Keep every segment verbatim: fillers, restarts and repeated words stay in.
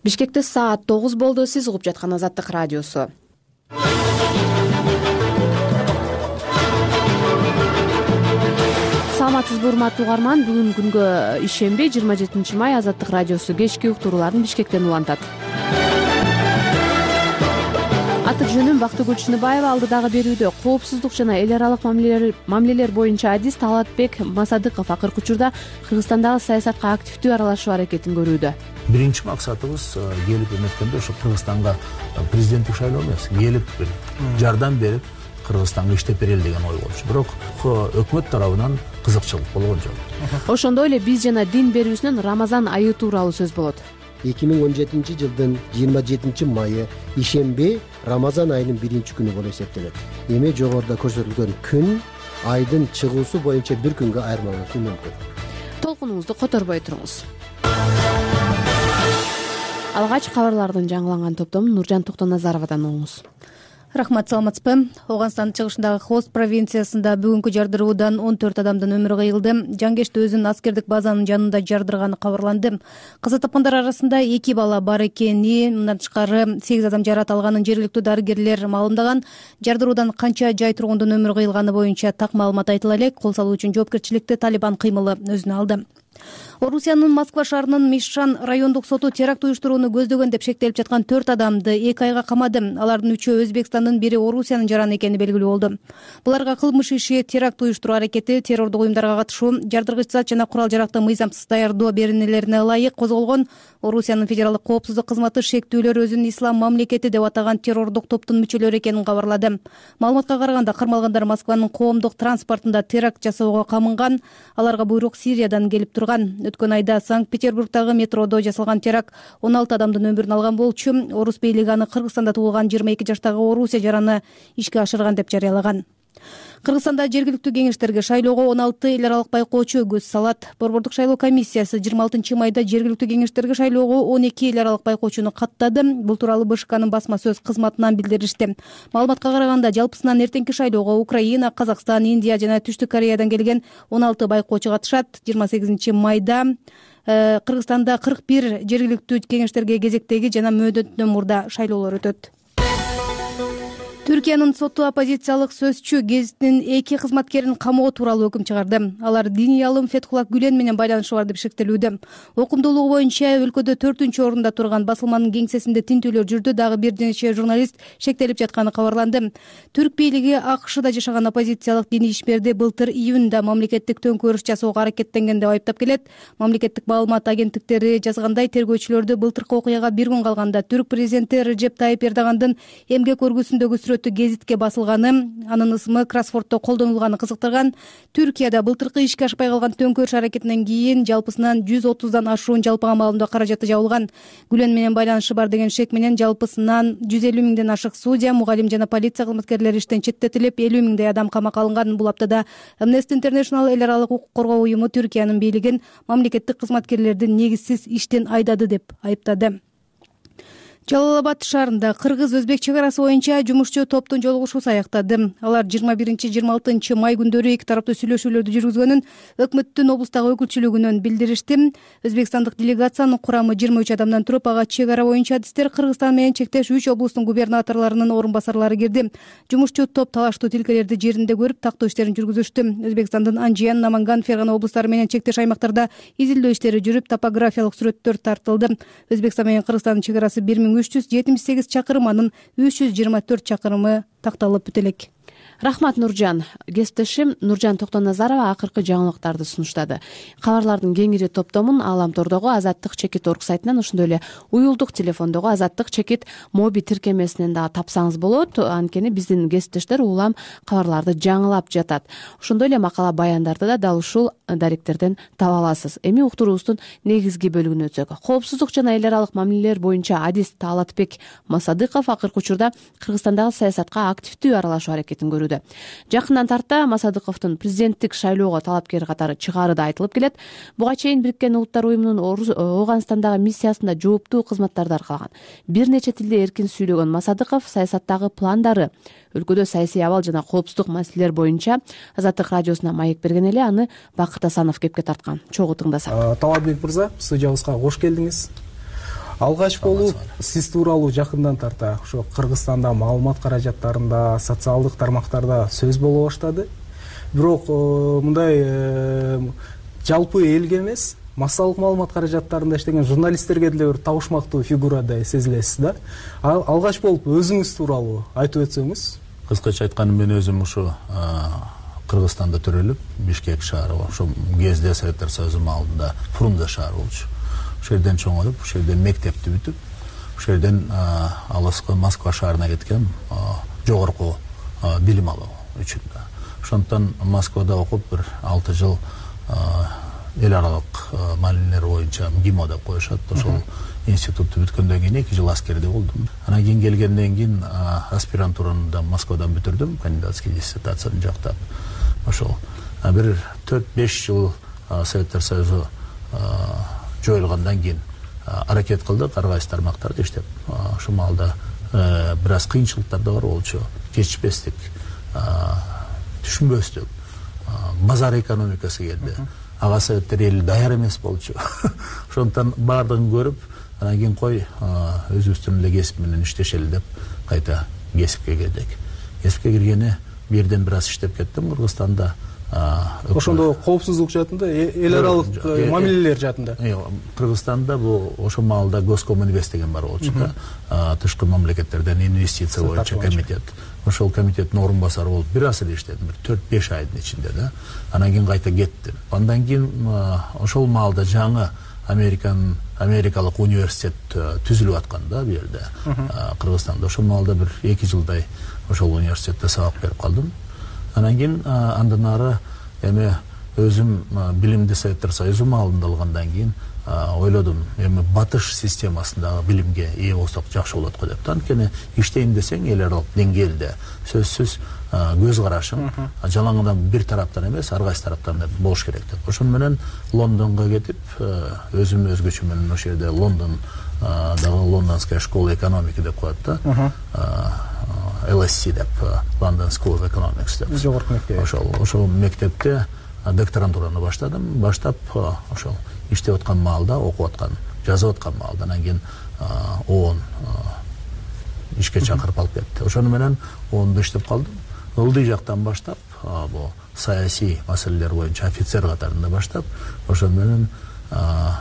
Бишкекте саат тогуз болду. Сиз угуп жаткан Азаттык радиосу. Саламатсызбы урматтуу угарман. Бүгүн күнгө ишемби, жыйырма жетинчи май. Азаттык радиосу кечки уктурууларын Бишкектен улантат. Аты жөнүм Бактыгүл Чыныбаева. Алдыдагы берүүдө коопсуздук жана эл аралык мамилелер мамилелер боюнча адис Талатбек Масадыков акыркы учурда Кыргызстандагы саясатка активдүү аралашуу аракетин көрүүдө. Биринчи максатыбыз келип эметкенде ошо Кыргызстанга президенттик шайлоо эмес, келип бир жардам берип Кыргызстанга иштеп берели деген ой болчу. Бирок өкмөт тарабынан кызыкчылык болгон жок. Ошондой эле биз жана дин берүүсүнөн Рамазан айы тууралуу сөз болот. эки миң он жетинчи жылдын жыйырма жетинчи майы ишемби Рамазан айынын биринчи күнү болуп эсептелет. Эми жогоруда көрсөтүлгөн күн айдын чыгуусу боюнча бир күнгө айырмаланышы мүмкүн. Толкунуңузду которбой туруңуз. Алгач кабарлардын жаңыланган топтомун Нуржан Токтоназаровадан угуңуз. Рахмат, саламатсызбы. Ооганстандын чыгышындагы Хост провинциясында бүгүнкү жардыруудан он төрт адамдын өмүрү кыйылды. Жангешти өзүнүн аскердик базанын жанында жардырганы кабарланды. Каза тапкандар арасында эки бала бар экени, мындан тышкары сегиз адам жаракат алганын жергиликтүү дарыгерлер маалымдаган. Жардыруудан канча жай тургундун өмүрү кыйылганы боюнча так маалымат айтыла элек. Кол салуу үчүн жоопкерчиликти Талибан кыймылы өзүнө алды. Орусиянын Москва шаарынын Мишан райондук соту теракт уюштурууну көздөгөн деп шектелип жаткан төрт адамды эки айга камады. Алардын үчөө Өзбекстандын, бири Орусиянын жараны экени белгилүү болду. Буларга кылмыш иши, теракт уюштуруу аракети, террордук уюмдарга катышуу, жардыргыч зат жана курал жаракты мыйзамсыз даярдоо беренелерине ылайык козголгон. Орусиянын федералдык коопсуздук кызматы шектүүлөр өзүн ислам мамлекети деп атаган террордук топтун мүчөлөрү экенин кабарлады. Маалыматка караганда кармалгандар Москванын коомдук транспортунда теракт жасоого камынган. Аларга буйрук Сириядан келип турган. Өткөн айда Санкт-Петербургдагы метродо жасалган теракт он алты адамдын өмүрүн алган болчу. Орус бийлиги аны Кыргызстанда туулган жыйырма эки жаштагы Орусия жараны ишке ашырган деп жарыялаган. Кыргызстанда жергиликтүү кеңештерге шайлоого он алты эл аралык байкоочу көз салат. Борбордук шайлоо комиссиясы жыйырма алтынчы майда жергиликтүү кеңештерге шайлоого он эки эл аралык байкоочуну каттады. Бул тууралуу БШКнын басма сөз кызматынан билдиришти. Маалыматка караганда жалпысынан эртеңки шайлоого Украина, Казакстан, Индия жана Түштүк Кореядан келген он алты байкоочу катышат. жыйырма сегизинчи майда Кыргызстанда кырк бир жергиликтүү кеңештерге кезектеги жана мөөнөтүнөн мурда шайлоолор өтөт. Түркиянын соту оппозициялык сөзчү гезиттин эки кызматкерин камоо тууралуу өкүм чыгарды. Алар диний алым Фетхуллах Гүлен менен байланышы бар деп шектелүүдө. Окумдуулугу боюнча өлкөдө төртүнчү орунда турган басылманын кеңсесинде тинтүүлөр жүрдү. Дагы бир нече журналист шектелип жатканы кабарланды. Түрк бийлиги АКШда жашаган оппозициялык диний ишмерди былтыр июнда мамлекеттик төңкөрүш жасоого аракеттенген деп айыптап келет. Мамлекеттик маалымат агенттиктери жазгандай, тергөөчүлөрдү былтыркы окуяга бир күн калганда түрк президенти Режеп Тайип Эрдогандын эмгек өргүсүндөгү гезитке басылганы, анын ысымы кроссвордто колдонулганы кызыктырган. Түркияда былтыркы ишке ашпай калган төңкөрүш аракетинен кийин жалпысынан жүз отуздан ашуун жалпыга маалымдоо каражаты жабылган. Гүлен менен байланышы бар деген шек менен жалпысынан жүз элүү миңден ашык судья, мугалим жана полиция кызматкерлери иштен четтетилип, элүү миңдей адам камакка алынган. Бул аптада Amnesty International эл аралык укук коргоо уюму Түркиянын бийлигин мамлекеттик кызматкерлерди негизсиз иштен айдады деп айыптады. Жалал-Абад шаарында кыргыз-өзбек чек арасы боюнча жумушчу топтун жолугушуусу аяктады. Алар жыйырма биринчи жыйырма алтынчы май күндөрү эки тараптуу сүйлөшүүлөрдү жүргүзгөнүн өкмөттүн облустагы өкүлчүлүгүнөн билдиришти. Өзбекстандык делегациянын курамы жыйырма үч адамдан туруп, ага чек ара боюнча адистер, Кыргызстан менен чектеш үч облустун губернаторлорунун орун басарлары кирди. Жумушчу топ талаштуу тилкелерди жеринде көрүп, тактоо иштерин жүргүзүштү. Өзбекстандын Анжиян, Наманган, Фергана облустары менен чектеш аймактарда изилдөө иштери жүрүп, топографиялык сүрөттөр тартылды. Өзбекстан менен Кыргызстандын чек арасы бир миң үч жүз жетимиш сегиз чакырым, анын үч жүз жыйырма төрт чакырымы такталып бүтө элек. Рахмат, Нуржан. Кесиптешим Нуржан Токтоназарова акыркы жаңылыктарды сунуштады. Кабарлардын кеңири топтомун Ааламтордогу Азаттык чекит точка орг сайтынан, ошондой эле уюлдук телефондогу Азаттык чекит моби тиркемесинен дагы тапсаңыз болот. Анткени биздин кесиптештер улам кабарларды жаңылап жатат. Ошондой эле макала баяндарды да дал ушул даректерден таба аласыз. Эми уктуруубуздун негизги бөлүгүнө өтсөк. Коопсуздук жана эл аралык мамилелер боюнча адис Талатбек Масадыков акыркы учурда Кыргызстандагы саясатка активдүү аралашуу аракетин көрүүдө. Жакындан тарта Масадыковдун президенттик шайлоого талапкер катары чыгары да айтылып келет. Буга чейин Бириккен Улуттар уюмунун Ооганстандагы миссиясында жооптуу кызматтарды аркалаган. Бир нече тилде эркин сүйлөгөн Масадыков саясаттагы пландары, өлкөдө саясий абал жана коопсуздук маселелер боюнча Азаттык радиосуна маек берген эле, аны Бакыт Асанов кепке тарткан. Чогуу тыңдасак. Талатбек мырза, студиябызга кош келдиңиз. алгач болуп сиз тууралуу жакындан тарта ошо Кыргызстанда маалымат каражаттарында, социалдык тармактарда сөз боло баштады. Бирок мындай жалпы элге эмес, массалык маалымат каражаттарында иштеген журналисттерге деле бир табышмактуу фигурадай сезилесиз да. Алгач болуп өзүңүз тууралуу айтып өтсөңүз. Кыскача айтканда мен өзүм ушу Кыргызстанда төрөлүп, Бишкек шаары, ошол кезде Советтер Союзу маалында Фрунзе шаары болчу. Ошол жерден чоңоюп, ошол жерден мектепти бүтүп, ошол жерден алыскы Москва шаарына кеткем, жогорку билим алуу үчүн да. Ошондон Москвада окуп бир алты жыл эл аралык маалимелер боюнча ГИМО деп коюшат. Ошол институтту бүткөндөн кийин эки жыл аскерде болдум. Анан кийин келгенден кийин аспирантураны да Москвадан бүтүрдүм, кандидатский диссертацияны жактап. Ошол бир төрт беш жыл Советтер Союзу жоюлгандан кийин аракет кылдык ар кайсы тармактарда иштеп. Ошол маалда бир аз кыйынчылыктар да бар болчу. Жетишпестик, түшүнбөстүк, базар экономикасы келди. Ага советтер эл даяр эмес болчу. Ошондон баардыгын көрүп, анан кийин кой өзүбүздүн эле кесип менен иштешели деп кайта кесипке кирдик. Кесипке киргени бир жерден бир аз иштеп кеттим Кыргызстанда. Ошондо коопсуздук жаатында, эл аралык мамилелер жаатында. Кыргызстанда бу ошол маалда Госкоминвест деген бар болчу да. Тышкы мамлекеттерден инвестиция боюнча комитет. Ошол комитеттин орун басары болуп бир аз эле иштедим, бир төрт беш айдын ичинде да. Анан кийин кайта кеттим. Андан кийин ошол маалда жаңы Американ Америкалык университет түзүлүп аткан да бу жерде. Кыргызстанда ошол маалда бир эки жылдай ошол университетте сабак берип калдым. Анан кийин андан ары эми өзүм билимди Советтер Союзу маалында алгандан кийин ойлодум, эми батыш системасындагы билимге ээ болсок жакшы болот го деп. Анткени иштейм десең эл аралык деңгээлде сөзсүз көз карашың жалаңадан бир тараптан эмес, ар кайсы тараптан болуш керек деп. Ошон менен Лондонго кетип, өзүм өзгөчө менен ошол жерде Лондон дагы Лондонская школа экономики деп коет да. эл эс си деп, London School of Economics деп. Жогорку мектеп. Ошол ошол мектепте докторантураны баштадым. Баштап ошол иштеп аткан маалда, окуп аткан, жазып аткан маалда анан кийин ООН ишке чакырып алып кетти. Ошону менен ООНдо иштеп калдым. Ылдый жактан баштап, бу саясий маселелер боюнча офицер катарында баштап, ошону менен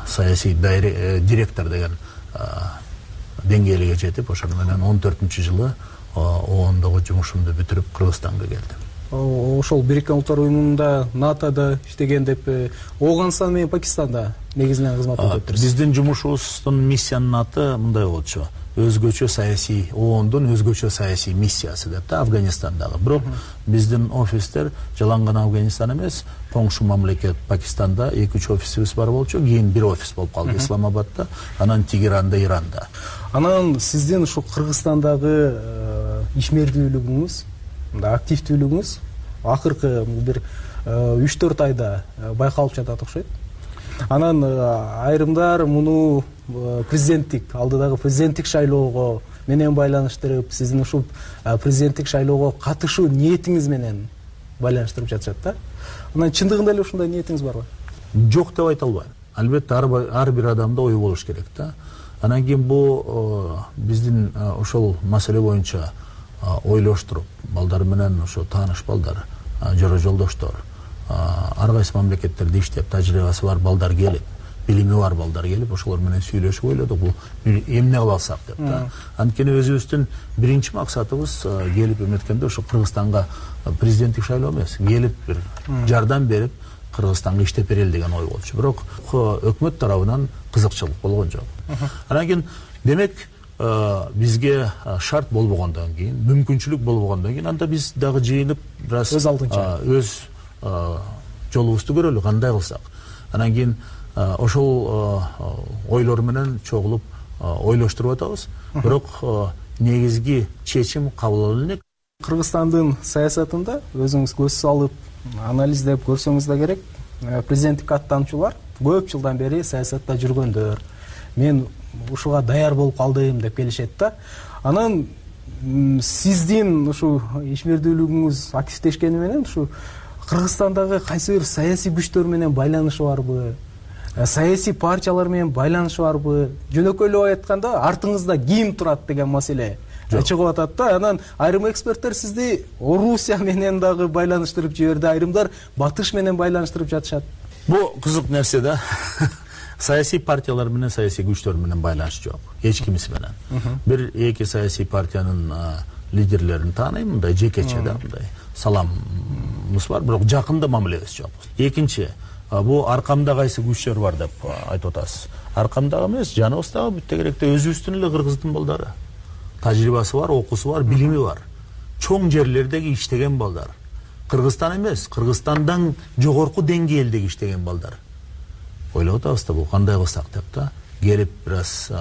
саясий директор деген деңгээлге жетип, ошону менен он төртүнчү жылы ООНдогу жумушумду бүтүрүп Кыргызстанга келдим. Ошол Бириккен Улуттар Уюмунда, НАТОда иштеген деп, Ооганстан менен Пакистанда негизинен кызмат өтөптүрсүз. Биздин жумушубуздун миссиянын аты мындай болчу. Өзгөчө саясий, ООНдун өзгөчө саясий миссиясы деп да, Афганистандагы. Бирок биздин офистер жалаң гана Афганистан эмес, коңшу мамлекет Пакистанда эки үч офисибиз бар болчу. Кийин бир офис болуп калды Исламабадда, анан Тегеранда, Иранда. Анан сиздин ушу Кыргызстандагы ишмердүүлүгүңүз, активдүүлүгүңүз акыркы бир үч төрт айда байкалып жатат окшойт. Анан айрымдар муну президенттик, алдыдагы президенттик шайлоого менен байланыштырып, сиздин ушул президенттик шайлоого катышуу ниетиңиз менен байланыштырып жатышат да. Анан чындыгында эле ушундай ниетиңиз барбы? Жок деп айта албайм. Албетте ар бир адамда ой болуш керек да. Анан кийин бу биздин ошол маселе боюнча ойлоштуруп, балдар менен ошо тааныш балдар, жора жолдоштор, ар кайсы мамлекеттерде иштеп тажрыйбасы бар балдар келип, билими бар балдар келип, ошолор менен сүйлөшүп ойлодук, бул эмне кыла алсак деп да. Анткени өзүбүздүн биринчи максатыбыз келип эметкенде ошо Кыргызстанга президенттик шайлоо эмес, келип бир жардам берип Кыргызстанга иштеп берели деген ой болчу. Бирок өкмөт тарабынан кызыкчылык болгон жок. Анан кийин демек бизге шарт болбогондон кийин, мүмкүнчүлүк болбогондон кийин, анда биз дагы жыйынып бир аз өз алдынча өз жолубузду көрөлү, кандай кылсак. Анан кийин ошол ойлор менен чогулуп ойлоштуруп атабыз. Бирок негизги чечим кабыл алынат. Кыргызстандын саясатында өзүңүз көз салып, анализдеп көрсөңүз да керек, президенттик аттануучулар көп жылдан бери саясатта жүргөндөр. Мен ушуга даяр болуп калдым деп келишет да. Анан сиздин ушу ишмердүүлүгүңүз активдешкени менен ушу Кыргызстандагы кайсы бир саясий күчтөр менен байланышы барбы? саясий партиялар менен байланышы барбы? Жөнөкөйлөп айтканда артыңызда ким турат деген маселе чыгып атат да. Анан айрым эксперттер сизди Орусия менен дагы байланыштырып жиберди, айрымдар Батыш менен байланыштырып жатышат. Бул кызык нерсе да. Саясий партиялар менен саясий күчтөр менен байланыш жок. Эч кимиси менен. Бир эки саясий партиянын лидерлерин тааныйм, мындай жекече да, мындай саламыбыз бар, бирок жакында мамилебиз жок. Экинчи, бул аркамда кайсы күчтөр бар деп айтып атасыз. Аркамдагы эмес, жаныбыздагы бүтө керекте өзүбүздүн эле кыргыздын балдары. Тажрыйбасы бар, окуусу бар, билими бар. Чоң жерлердеги иштеген балдар. Кыргызстан эмес, Кыргызстандан жогорку деңгээлдеги иштеген балдар. Ойлоп атабыз да, бул кандай кылсак деп да, келип бир аз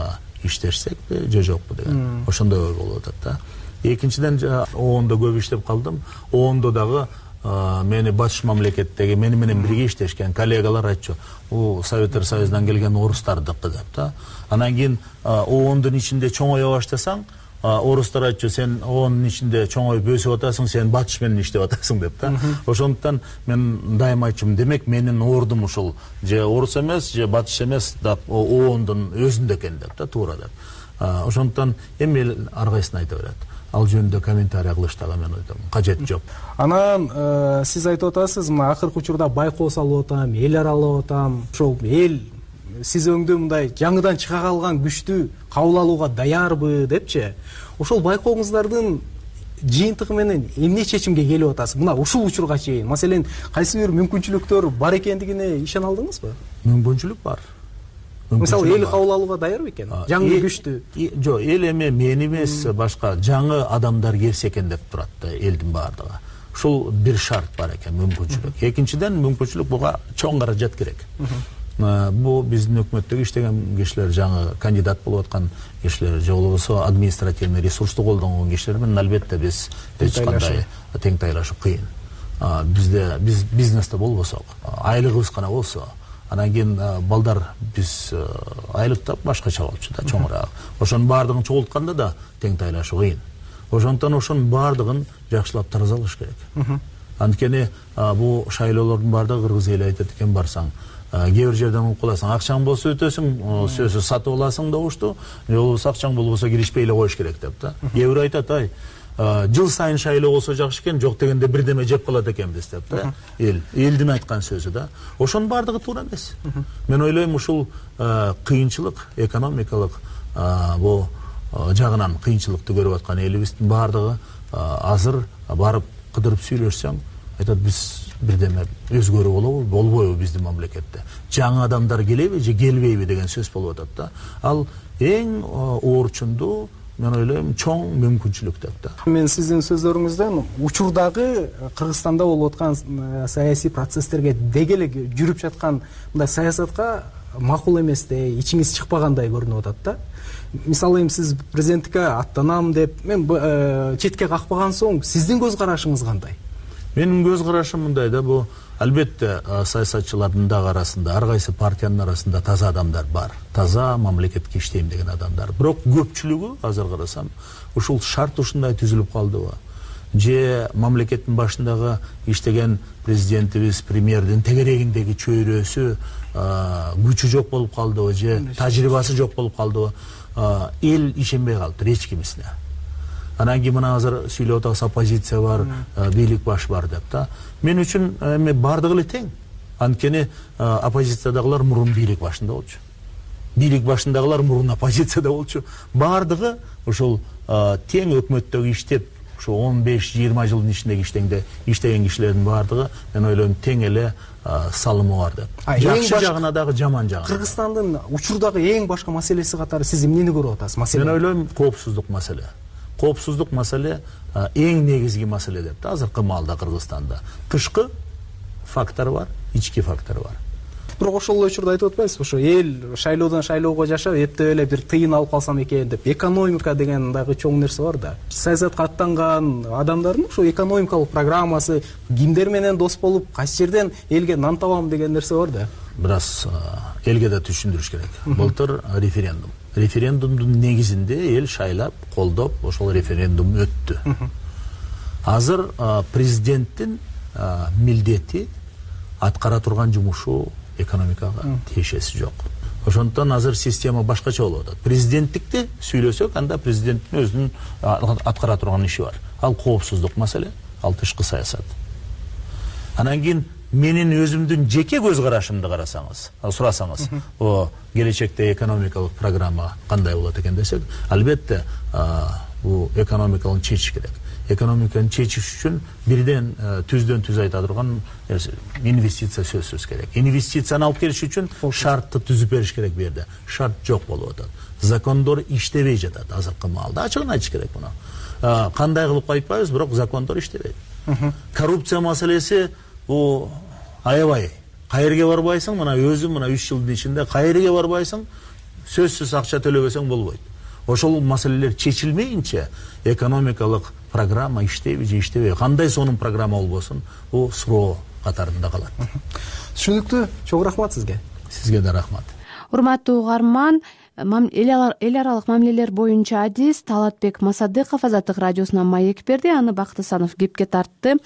иштешсекпи же жокпу деген. Ошондой ой болуп атат да. Экинчиден оондо көп иштеп калдым. оондо дагы мени Батыш мамлекеттеги мени менен бирге иштешкен коллегалар айтчу, бул Советтер Союзунан келген орустардыкы деп да. Анан кийин оондун ичинде чоңое баштасаң, орустар айтчу, сен оондун ичинде чоңоюп өсүп атасың, сен Батыш менен иштеп атасың деп да. Ошондуктан мен дайыма айтчумун, демек менин ордум ушул же орус эмес, же Батыш эмес, оондун өзүндө экен деп да, туура деп. Ошондуктан эми эл ар кайсысын айта берет. Ал жөнүндө комментарий кылыштага мен ойдом, кажет жок. Анан сиз айтып атасыз, мына акыркы учурда байкоо салып атам, эл аралап атам. Ошол эл сиз өңдө мындай жаңыдан чыга калган күчтү кабыл алууга даярбы депчи. Ошол байкооңуздардын жыйынтыгы менен эмне чечимге келип атасыз? Мына ушул учурга чейин, маселен, кайсы бир мүмкүнчүлүктөр бар экендигине ишене алдыңызбы? Мүмкүнчүлүк бар. Мисалы, эл кабыл алууга даяр бекен? Жаңы күчтү. Жок, эл эме мен эмес, башка жаңы адамдар келсе экен деп турат да элдин баардыгы. Ушул бир шарт бар экен, мүмкүнчүлүк. Экинчиден, мүмкүнчүлүк буга чоң каражат керек. Бул биздин өкмөттөгү иштеген кишилер, жаңы кандидат болуп аткан кишилер, же болбосо административный ресурсту колдонгон кишилер менен албетте биз эч кандай тең тайлашуу кыйын. Бизде биз бизнесте болбосок, айлыгыбыз гана болсо, анан кийин балдар биз айлыктап башкача болчу да, чоңураак. Ошонун баардыгын чогултканда да тең тайлашуу кыйын. Ошондуктан ошонун баардыгын жакшылап таразалаш керек. Анткени бул шайлоолордун баардыгы кыргыз эли айтат экен, барсаң кээ бир жерден угуп каласың, акчаң болсо өтөсүң, сөзсүз сатып аласың да ушту, же болбосо акчаң болбосо киришпей эле коюш керек деп да. Кээ бир айтат, ай, жыл сайын шайлоо болсо жакшы экен, жок дегенде бирдеме жеп калат экенбиз деп да. Эл, элдин айткан сөзү да. Ошонун баардыгы туура эмес. Мен ойлойм, ушул кыйынчылык, экономикалык бул жагынан кыйынчылыкты көрүп аткан элибиздин баардыгы азыр барып кыдырып сүйлөшсөң, айтат, биз бирдеме өзгөрүү болобу, болбойбу биздин мамлекетте. Жаңы адамдар келеби же келбейби деген сөз болуп атат да. Ал эң оорчундуу, мен ойлойм, чоң мүмкүнчүлүк деп да. Мен сиздин сөзлөрүңүздөн учурдагы Кыргызстанда болуп аткан саясий процесстерге деги эле жүрүп жаткан мындай саясатка макул эместей, ичиңиз чыкпагандай көрүнүп атат да. Мисалы, эми сиз президенттикке аттанам деп, мен четке какпаган соң сиздин көз карашыңыз кандай? Менин көз карашым мындай да, бул албетте саясатчылардын дагы арасында, ар кайсы партиянын арасында таза адамдар бар. Таза мамлекетке иштейм деген адамдар. Бирок көпчүлүгү азыр карасам, ушул шарт ушундай түзүлүп калдыбы? Же мамлекеттин башындагы иштеген президентибиз, премьердин тегерегиндеги чөйрөсү, күчү жок болуп калдыбы, же тажрыйбасы жок болуп калдыбы? Эл ишенбей калыптыр эч кимисине. Анан кийин мына азыр сүйлөп атабыз, оппозиция бар, бийлик баш бар деп да. Мен үчүн эми бардыгы эле тең. Анткени оппозициядагылар мурун бийлик башында болчу. Бийлик башындагылар мурун оппозицияда болчу. Бардыгы ушул тең өкмөттөгү иштеп, ушу он беш жыйырма жылдын ичинде иштегенде иштеген кишилердин бардыгы, мен ойлойм, тең эле салымы бар деп. Жакшы жагына дагы, жаман жагына. Кыргызстандын учурдагы эң башка маселеси катары сиз эмнени көрүп атасыз? Мен ойлойм, коопсуздук маселе. Коопсуздук маселе эң негизги маселе деп да, азыркы маалда Кыргызстанда. Тышкы фактор бар, ички фактор бар. Бирок ошол учурда айтып атпайсызбы, ошо эл шайлоодон шайлоого жашап, эптеп эле бир тыйын алып калсам экен деп, экономика деген дагы чоң нерсе бар да. Саясатка аттанган адамдардын ошо экономикалык программасы, кимдер менен дос болуп, кайсы жерден элге нан табам деген нерсе бар да. Бир аз элге да түшүндүрүш керек. Былтыр референдум. Референдумдун негизинде эл шайлап, колдоп, ошол референдум өттү. Азыр президенттин милдети, аткара турган жумушу экономикага тиешеси жок. Ошондуктан азыр система башкача болуп атат. Президенттикти сүйлөсөк, анда президенттин өзүнүн аткара турган иши бар. Ал коопсуздук маселе, ал тышкы саясат. Анан кийин менин өзүмдүн жеке көз карашымды карасаңыз, сурасаңыз, о келечекте экономикалык программа кандай болот экен десек, албетте бул экономиканы чечиш керек. Экономиканы чечиш үчүн бирден түздөн түз айта турган инвестиция сөзсүз керек. Инвестицияны алып келиш үчүн шартты түзүп бериш керек бу жерде. Шарт жок болуп атат. Закондор иштебей жатат азыркы маалда. Ачыгын айтыш керек муну. Кандай кылып айтпайбыз, бирок закондор иштебейт. Коррупция маселеси бу аябай. Кайерге барбайсың, мына өзүм мына үч жылдын ичинде кайерге барбайсың, сөзсүз акча төлөбөсөң болбойт. Ошол маселелер чечилмейинче экономикалык программа иштейби же иштебейби, кандай сонун программа болбосун, бул суроо катарында калат. Түшүнүктүү. Чоң рахмат сизге. Сизге да рахмат. Урматтуу угарман, эл аралык мамилелер боюнча адис Талатбек Масадыков Азаттык радиосуна маек берди, аны Бакыт Асанов кепке тартты.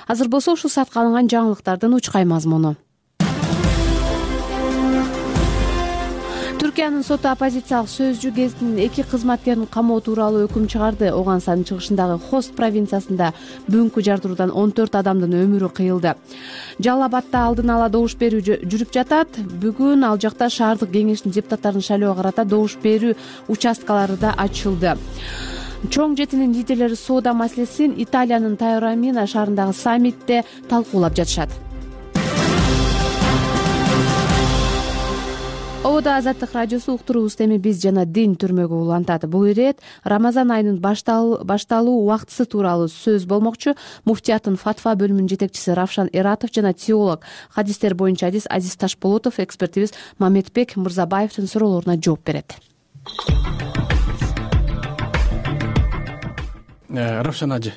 Азыр болсо ушул саатка алынган жаңылыктардын учкай мазмуну. Түркиянын соту оппозициялык Сөзчү гезитинин эки кызматкерин камоо тууралуу өкүм чыгарды. Оганстандын чыгышындагы Хост провинциясында бүгүнкү жардыруудан он төрт адамдын өмүрү кыйылды. Жалал Абадда алдын ала добуш берүү жүрүп жатат. Бүгүн ал жакта шаардык кеңештин депутаттарын шайлоого карата добуш берүү участкалары да ачылды. Чоң жетинин лидерлери соода маселесин Италиянын Таорамино шаарындагы саммитте талкуулап жатышат. Ободо Азаттык радиосу уктуруубуз эми биз жана дин түрмөгө улантат. Бул ирет Рамазан айынын башталуу убактысы тууралуу сөз болмокчу. Муфтияттын фатва бөлүмүнүн жетекчиси Равшан Эратов жана теолог, хадистер боюнча адис Азиз Ташполотов экспертибиз Мамедбек Мырзабаевдин суроолоруна жооп берет. Равшан ажы,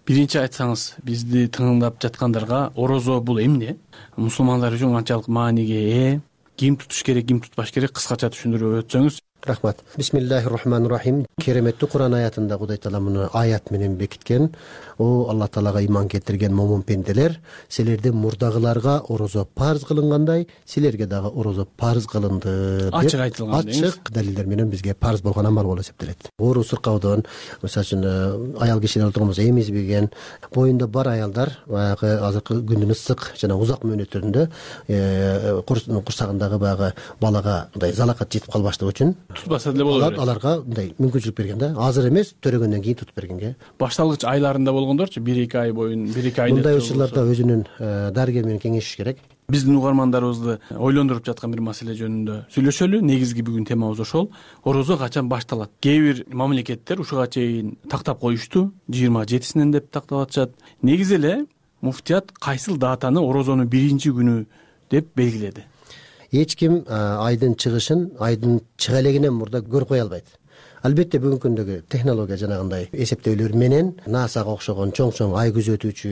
биринчи айтсаңыз, бизди тыңдап жаткандарга орозо бул эмне? Мусулмандар үчүн канчалык мааниге ээ? Ким тутуш керек, ким тутпаш керек, кыскача түшүндүрүп өтсөңүз. Рахмат. Бисмиллахир-рахманир-рахим. Кереметти Куран аятында Кудай Таала муну аят менен бекиткен. О Алла Таалага иман келтирген момун пенделер, силердин мурдагыларга орозо парыз кылынгандай, силерге дагы орозо парыз кылынды. Ачык айтылган. Ачык далилдер менен бизге парыз болгон амал болуп эсептелет. Оору сыркаудон, мисалы үчүн аял кишилер тургуза эмизбеген, боюнда бар аялдар баягы азыркы күндүн ысык жана узак мөөнөттөрүндө курсагындагы баягы балага мындай залакат жетип калбаштыгы үчүн тутпаса деле болот. Аларга мындай мүмкүнчүлүк берген да. Азыр эмес, төрөгөндөн кийин тутуп бергенге. Башталгыч айларында болгондорчу бир эки ай боюн, бир эки ай мындай учурларда өзүнүн дарыгер менен кеңешиш керек. Биздин угармандарыбызды ойлондуруп жаткан бир маселе жөнүндө сүйлөшөлү. Негизги бүгүн темабыз ошол. Орозо качан башталат? Кээ бир мамлекеттер ушуга чейин тактап коюшту. жыйырма жетисинен деп тактап атышат. Негизи эле муфтият кайсыл датаны орозонун биринчи күнү деп белгиледи? Эч ким айдын чыгышын айдын чыга элегинен мурда көрүп кое албайт. Албетте бүгүнкү күндөгү технология жанагындай эсептөөлөр менен насага окшогон чоң-чоң ай күзөтүүчү,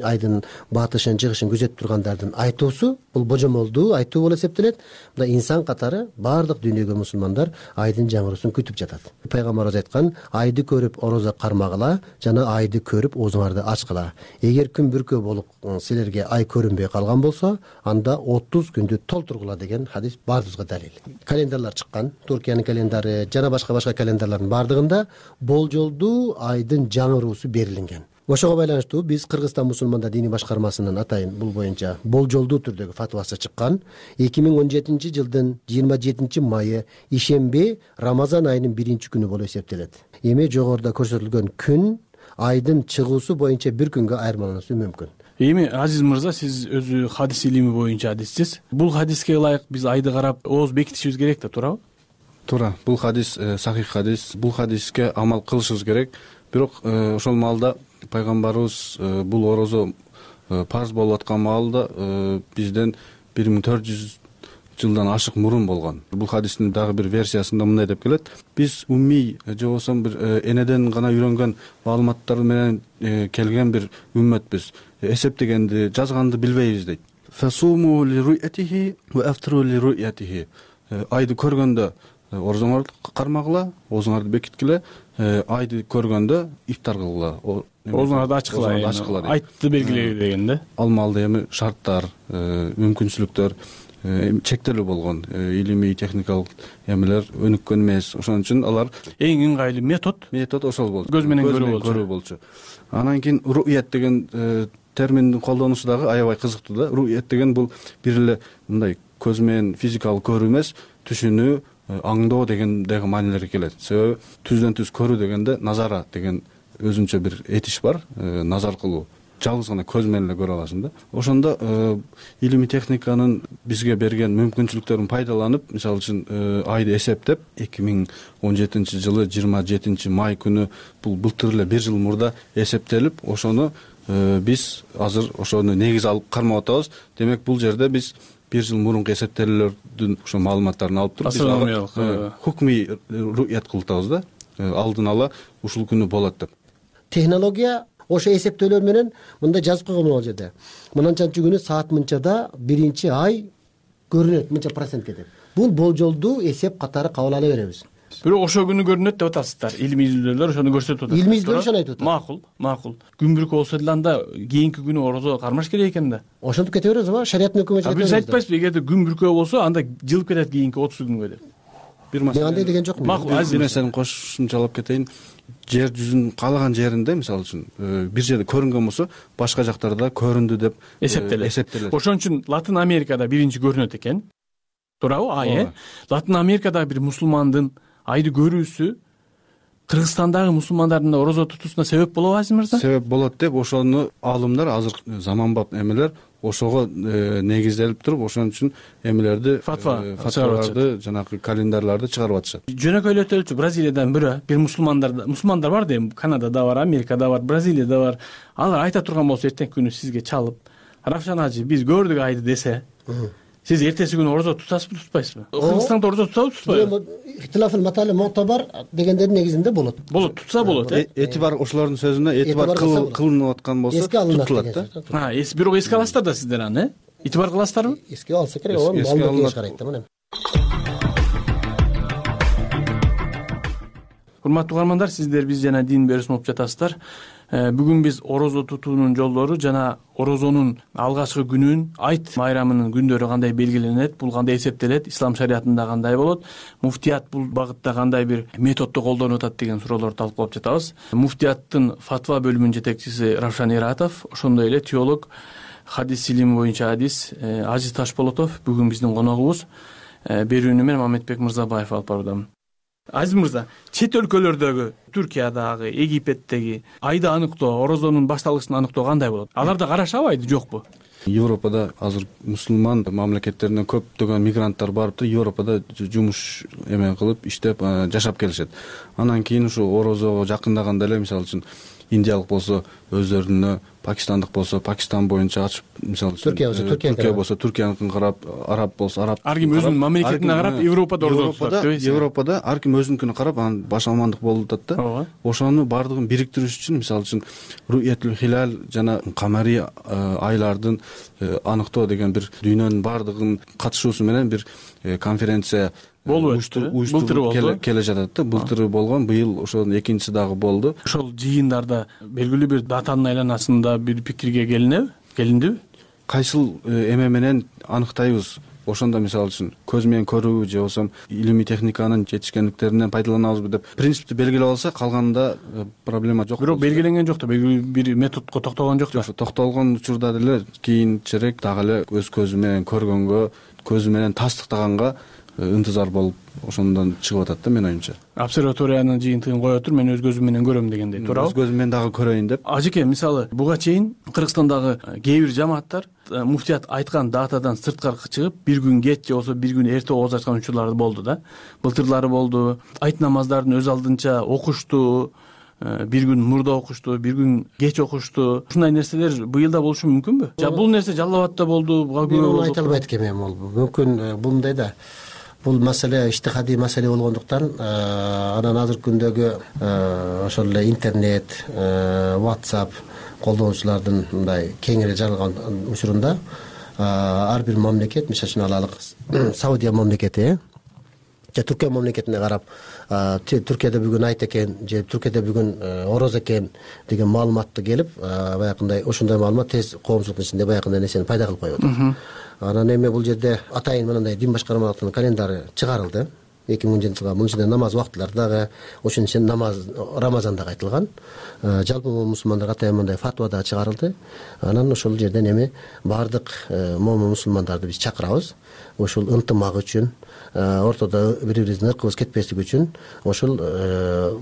айдын батышын, чыгышын күзөтүп тургандардын айтуусу бул божомолдуу айтуу болуп эсептелет. Мында инсан катары баардык дүйнөгө мусулмандар айдын жаңыруусун күтүп жатат. Пайгамбарыбыз айткан: айды көрүп орозо кармагыла жана айды көрүп оозуңарды ачкыла. Эгер күн бүркөө болуп силерге ай көрүнбөй калган болсо, анда отуз күндү толтургула деген хадис баарыбызга далил. Календарлар чыккан, Туркиянын календары жана башка-башка календар бардыгында болжолдуу айдын жаңыруусу берилинген. Ошого байланыштуу биз Кыргызстан мусулмандар диний башкармасынын атайын бул боюнча болжолдуу түрдөгү фатвасы чыккан. эки миң он жетинчи жылдын жыйырма жетинчи майы ишемби Рамазан айынын биринчи күнү болуп эсептелет. Эми жогоруда көрсөтүлгөн күн айдын чыгуусу боюнча бир күнгө айырмалануусу мүмкүн. Эми Азиз мырза, сиз өзү хадис илими боюнча адиссиз. Бул хадиске ылайык биз айды карап ооз бекитишибиз керек да, туурабы? Туура. Бул хадис сахих хадис. Бул хадиске амал кылышыбыз керек. Бирок ошол маалда пайгамбарыбыз бул орозо парыз болуп аткан маалда бизден бир миң төрт жүз жылдан ашык мурун болгон. Бул хадистин дагы бир версиясында мындай деп келет: биз уммий же болбосо бир энеден гана үйрөнгөн маалыматтар менен келген бир үммөтбүз. Эсептегенди, жазганды билбейбиз дейт. Фасуму ли ру'ятихи ва афтру ли ру'ятихи. Айды көргөндө орозоңарды кармагыла, оозуңарды бекиткиле, айды көргөндө ифтар кылгыла. Оозуңарды ачкыла, айтты белгилеби деген да. Ал маалда эми шарттар, мүмкүнчүлүктөр чектелүү болгон, илимий техникалык эмелер өнүккөн эмес. Ошон үчүн алар эң ыңгайлуу метод метод ошол болчу. Көз менен көрүү болчу. Анан кийин руят деген терминдин колдонушу дагы аябай кызыктуу да. Руят деген бул бир эле мындай көз менен физикалык көрүү эмес, түшүнүү, аңдоо деген дагы маанилерге келет. Себеби түздөн түз көрүү дегенде назара деген өзүнчө бир этиш бар, назар кылуу. Жалгыз гана көз менен эле көрө аласың да. Ошондо илимий техниканын бизге берген мүмкүнчүлүктөрүн пайдаланып, мисалы үчүн айды эсептеп, эки миң он жетинчи жылы жыйырма жетинчи май күнү бул былтыр эле бир жыл мурда эсептелип, ошону биз азыр ошону негиз алып кармап атабыз. Демек бул жерде биз бир жыл мурунку эсептелүүлөрдүн ошо маалыматтарын алып туруп астрономиялык хукмий руят кылып атабыз да. Алдын ала ушул күнү болот деп. Технология ошо эсептөөлөр менен мындай жазып койгон бул жерде. Мынанчанчы күнү саат мынчада биринчи ай көрүнөт, мынча процентке деп. Бул болжолдуу эсеп катары кабыл ала беребиз. Бирок ошо күнү көрүнөт деп атасыздар. Илимий изилдөөлөр ошону көрсөтүп атат. Илимий изилдөөлөр ошону айтып атат. Макул, макул. Күн бүркү болсо деле анда кийинки күнү орозо кармаш керек экен да. Ошентип кете беребиз ба? Шариаттын өкүмө чыгат. Биз айтпайсызбы, эгерде күн бүркө болсо, анда жылып кетет кийинки отуз күнгө деп. Бир маселе. Мен андай деген жокмун. Макул, бир нерсени кошумчалап кетейин. Жер жүзүнүн каалаган жеринде, мисалы үчүн, бир жерде көрүнгөн болсо, башка жактарда көрүндү деп эсептелет. Ошон үчүн Латын Америкада биринчи көрүнөт экен. Туурабы? Ай, Латын Америкадагы бир мусулмандын айды көрүүсү Кыргызстандагы мусулмандардын орозо тутуусуна себеп болобу, Азиз мырза? Себеп болот деп ошону аалымдар азыр заманбап эмелер ошого негизделип туруп, ошон үчүн эмелерди фатва фатваларды, жанагы календарларды чыгарып атышат. Жөнөкөйлөтөлчү Бразилиядан бирөө, бир мусулмандар мусулмандар бар да, эми Канадада бар, Америкада бар, Бразилияда бар. Алар айта турган болсо эртеңки күнү сизге чалып, Равшан ажы, биз көрдүк айды десе, сиз эртеси күнү орозо тутасызбы, тутпайсызбы? Кыргызстанда орозо тутабы, тутпайбы? Ихтилафыл матали муътабар дегендердин негизинде болот. Болот, тутса болот, э? Этибар ошолордун сөзүнө этибар кылынып аткан болсо тутулат да. А, эс бирок эске аласыздар да сиздер аны, э? Этибар кыласыздарбы? Эске алса керек, ал кеңеш карайт да мына. Урматтуу угармандар, сиздер биз жана дин берүүсүн угуп жатасыздар. Бүгүн биз орозо тутуунун жолдору жана орозонун алгачкы күнүн, айт майрамынын күндөрү кандай белгиленет, бул кандай эсептелет, ислам шариятында кандай болот, муфтият бул багытта кандай бир методду колдонуп атат деген суроолорду талкуулап жатабыз. Муфтияттын фатва бөлүмүнүн жетекчиси Равшан Иратов, ошондой эле теолог, хадис илими боюнча адис Ажиз Ташполотов бүгүн биздин коногубуз. Берүүнү мен Мамедбек Мырзабаев алып баруудамын. Азиз мырза, чет өлкөлөрдөгү, Түркиядагы, Египеттеги айды аныктоо, орозонун башталышын аныктоо кандай болот? Аларда карашабы айды, жокпу? Европада азыр мусулман мамлекеттеринен көптөгөн мигранттар барып, Европада жумуш эме кылып, иштеп, жашап келишет. Анан кийин ушу орозого жакындаганда эле, мисалы үчүн, индиялык болсо өздөрүнө, пакистандык болсо Пакистан боюнча ачып, мисалы үчүн Түркия болсо Түркия болсо Түркияныкын карап, араб болсо араб. Ар ким өзүнүн мамлекетине карап, Европада орозо тутат дейсиз. Европада ар ким өзүнүкүнө карап, анан баш амандык болуп атат да. Ошону бардыгын бириктириш үчүн, мисалы үчүн, Руятул Хилал жана Камари айлардын аныктоо деген бир дүйнөнүн бардыгын катышуусу менен бир конференция уюштуруп келе жатат да. Былтыр болгон, быйыл ошонун экинчиси дагы болду. Ошол жыйындарда белгилүү бир датанын айланасында бир пикирге келинеби? Келиндиби? Кайсыл эме менен аныктайбыз? Ошондо мисалы үчүн көз менен көрүүбү же болбосо илимий техниканын жетишкендиктеринен пайдаланабызбы деп принципти белгилеп алса, калганында проблема жок. Бирок белгиленген жок да, белгилүү бир методко токтолгон жок да. Токтолгон учурда деле кийинчерээк дагы эле өз көзү менен көргөнгө, көзү менен тастыктаганга ынтызар болуп ошондон чыгып атат да, менин оюмча. Обсерваториянын жыйынтыгын кое туруп, мен өз көзүм менен көрөм дегендей, туурабы? Өз көзүм менен дагы көрөйүн деп. Ажеке, мисалы, буга чейин Кыргызстандагы кээ бир жамааттар муфтият айткан датадан сырткары чыгып, бир күн кеч же болсо бир күн эрте ооз ачкан учурлар болду да. Былтырлары болду. Айт намаздарын өз алдынча окушту, бир күн мурда окушту, бир күн кеч окушту. Ушундай нерселер быйыл да болушу мүмкүнбү? Жа бул нерсе Жалал Абадта болду, буга күбө болду. Мен айта албайт экенмин, бул мүмкүн бул мындай да. Бул маселе иштихадий маселе болгондуктан, анан азыркы күндөгү ошол эле интернет, WhatsApp колдонуучулардын мындай кеңири жаралган учурунда ар бир мамлекет, мисалы үчүн алалык Саудия мамлекети же Түркия мамлекетине карап, Түркияда бүгүн айт экен же Түркияда бүгүн орозо экен деген маалыматты келип баягындай ошондой маалымат тез коомчулуктун ичинде баягындай нерсени пайда кылып коюп атат. Анан эми бул жерде атайын мындай дин башкармалыктын календары чыгарылды. эки миң он жетинчи жылга мунун ичинде намаз убактылары дагы ошонун ичинде намаз Рамазан дагы айтылган. Жалпы мусулмандарга атайын мындай фатва да чыгарылды. Анан ошол жерден эми баардык момун мусулмандарды биз чакырабыз. Ошол ынтымак үчүн, ортодо бири-бирибиздин ыркыбыз кетпеслиги үчүн ошол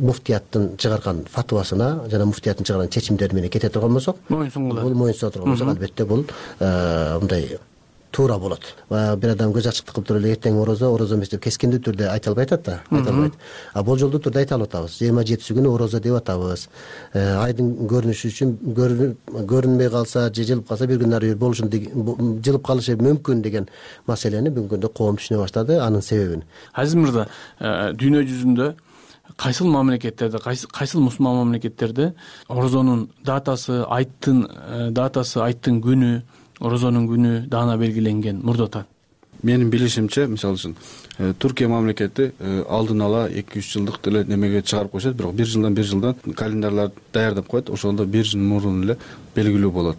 муфтияттын чыгарган фатвасына жана муфтияттын чыгарган чечимдери менен кете турган болсок, бул моюн суна турган болсок, албетте бул мындай туура болот. Бир адам көз ачыктык кылып туруп эле эртең орозо, орозо эмес деп кескиндүү түрдө айта албай атат да, айта албайт. А болжолдуу түрдө айта алып атабыз. жыйырма жетиси күнү орозо деп атабыз. Айдын көрүнүшү үчүн көрүнбөй калса, же жылып калса бир күн ары бир болушун, жылып калышы мүмкүн деген маселени бүгүнкү күндө коом түшүнө баштады, анын себебин. Азиз мырза, дүйнө жүзүндө кайсыл мамлекеттерде, кайсыл мусулман мамлекеттерде орозонун датасы, айттын датасы, айттын күнү, орозонун күнү даана белгиленген мурдатан? Менин билишимче, мисалы үчүн Түркия мамлекети алдын ала эки үч жылдык деле немеге чыгарып коюшат, бирок бир жылдан бир жылдан календарлар даярдап коет. Ошондо бир жыл мурун эле белгилүү болот,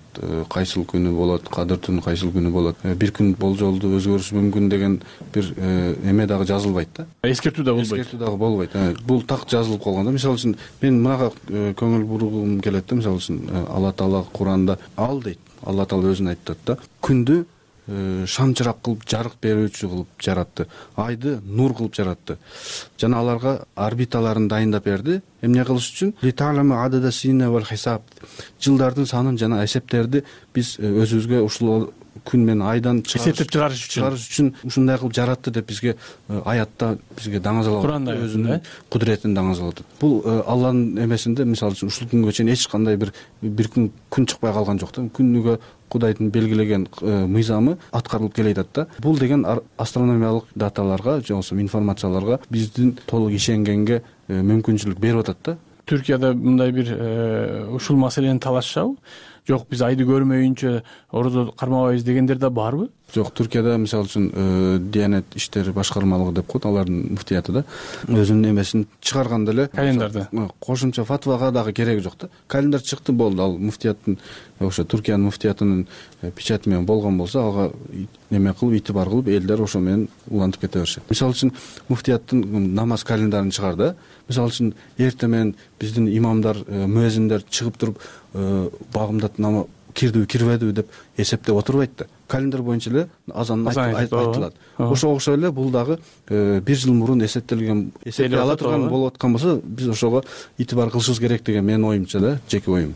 кайсыл күнү болот, кадыр түнү кайсыл күнү болот. Бир күн болжолду өзгөрүшү мүмкүн деген бир эме дагы жазылбайт да. Эскертүү да болбойт. Эскертүү дагы болбойт. Бул так жазылып калган да. Мисалы үчүн мен мынага көңүл бургум келет да. Мисалы үчүн Алла Таала Куранда ал дейт. Алла Таала өзүн айтат да. Күндү шам чырак кылып, жарык берүүчү кылып жаратты. Айды нур кылып жаратты. Жана аларга орбиталарын дайындап берди. Эмне кылыш үчүн? Литалама адада сина вал хисаб. Жылдардын санын жана эсептерди биз өзүбүзгө ушул күн менен айдан эсептеп чыгарыш үчүн чыгарыш үчүн ушундай кылып жаратты деп бизге аятта бизге даңазалап Куранда өзүнүн кудуретин даңазалап. Бул Алланын эмесинде мисалы үчүн ушул күнгө чейин эч кандай бир бир күн күн чыкпай калган жок да. Күнүгө Кудайдын белгилеген мыйзамы аткарылып келе жатат да. Бул деген астрономиялык даталарга же болбосо информацияларга биздин толук ишенгенге мүмкүнчүлүк берип атат да. Түркияда мындай бир ушул маселени талашышабы? Жок, биз айды көрмөйүнчө орозо кармабайбыз дегендер да барбы? Жок, Түркияда мисалы үчүн Диянет иштери башкармалыгы деп коет, алардын муфтияты да өзүнүн эмесин чыгарган деле календарды. Кошумча фатвага дагы кереги жок да. Календар чыкты, болду. Ал муфтияттын ошо Түркиянын муфтиятынын печати менен болгон болсо, ага неме кылып, итибар кылып, элдер ошо менен улантып кете беришет. Мисалы үчүн муфтияттын намаз календарын чыгарды. Мисалы үчүн эртең менен биздин имамдар, муэзиндер чыгып туруп багымдат намаз кирдиби, кирбедиби деп эсептеп отурбайт да. Календар боюнча эле азан айтылат. Ошого окшой эле бул дагы бир жыл мурун эсептелген, эсептей ала турган болуп аткан болсо, биз ошого итибар кылышыбыз керек деген менин оюмча да, жеке оюм.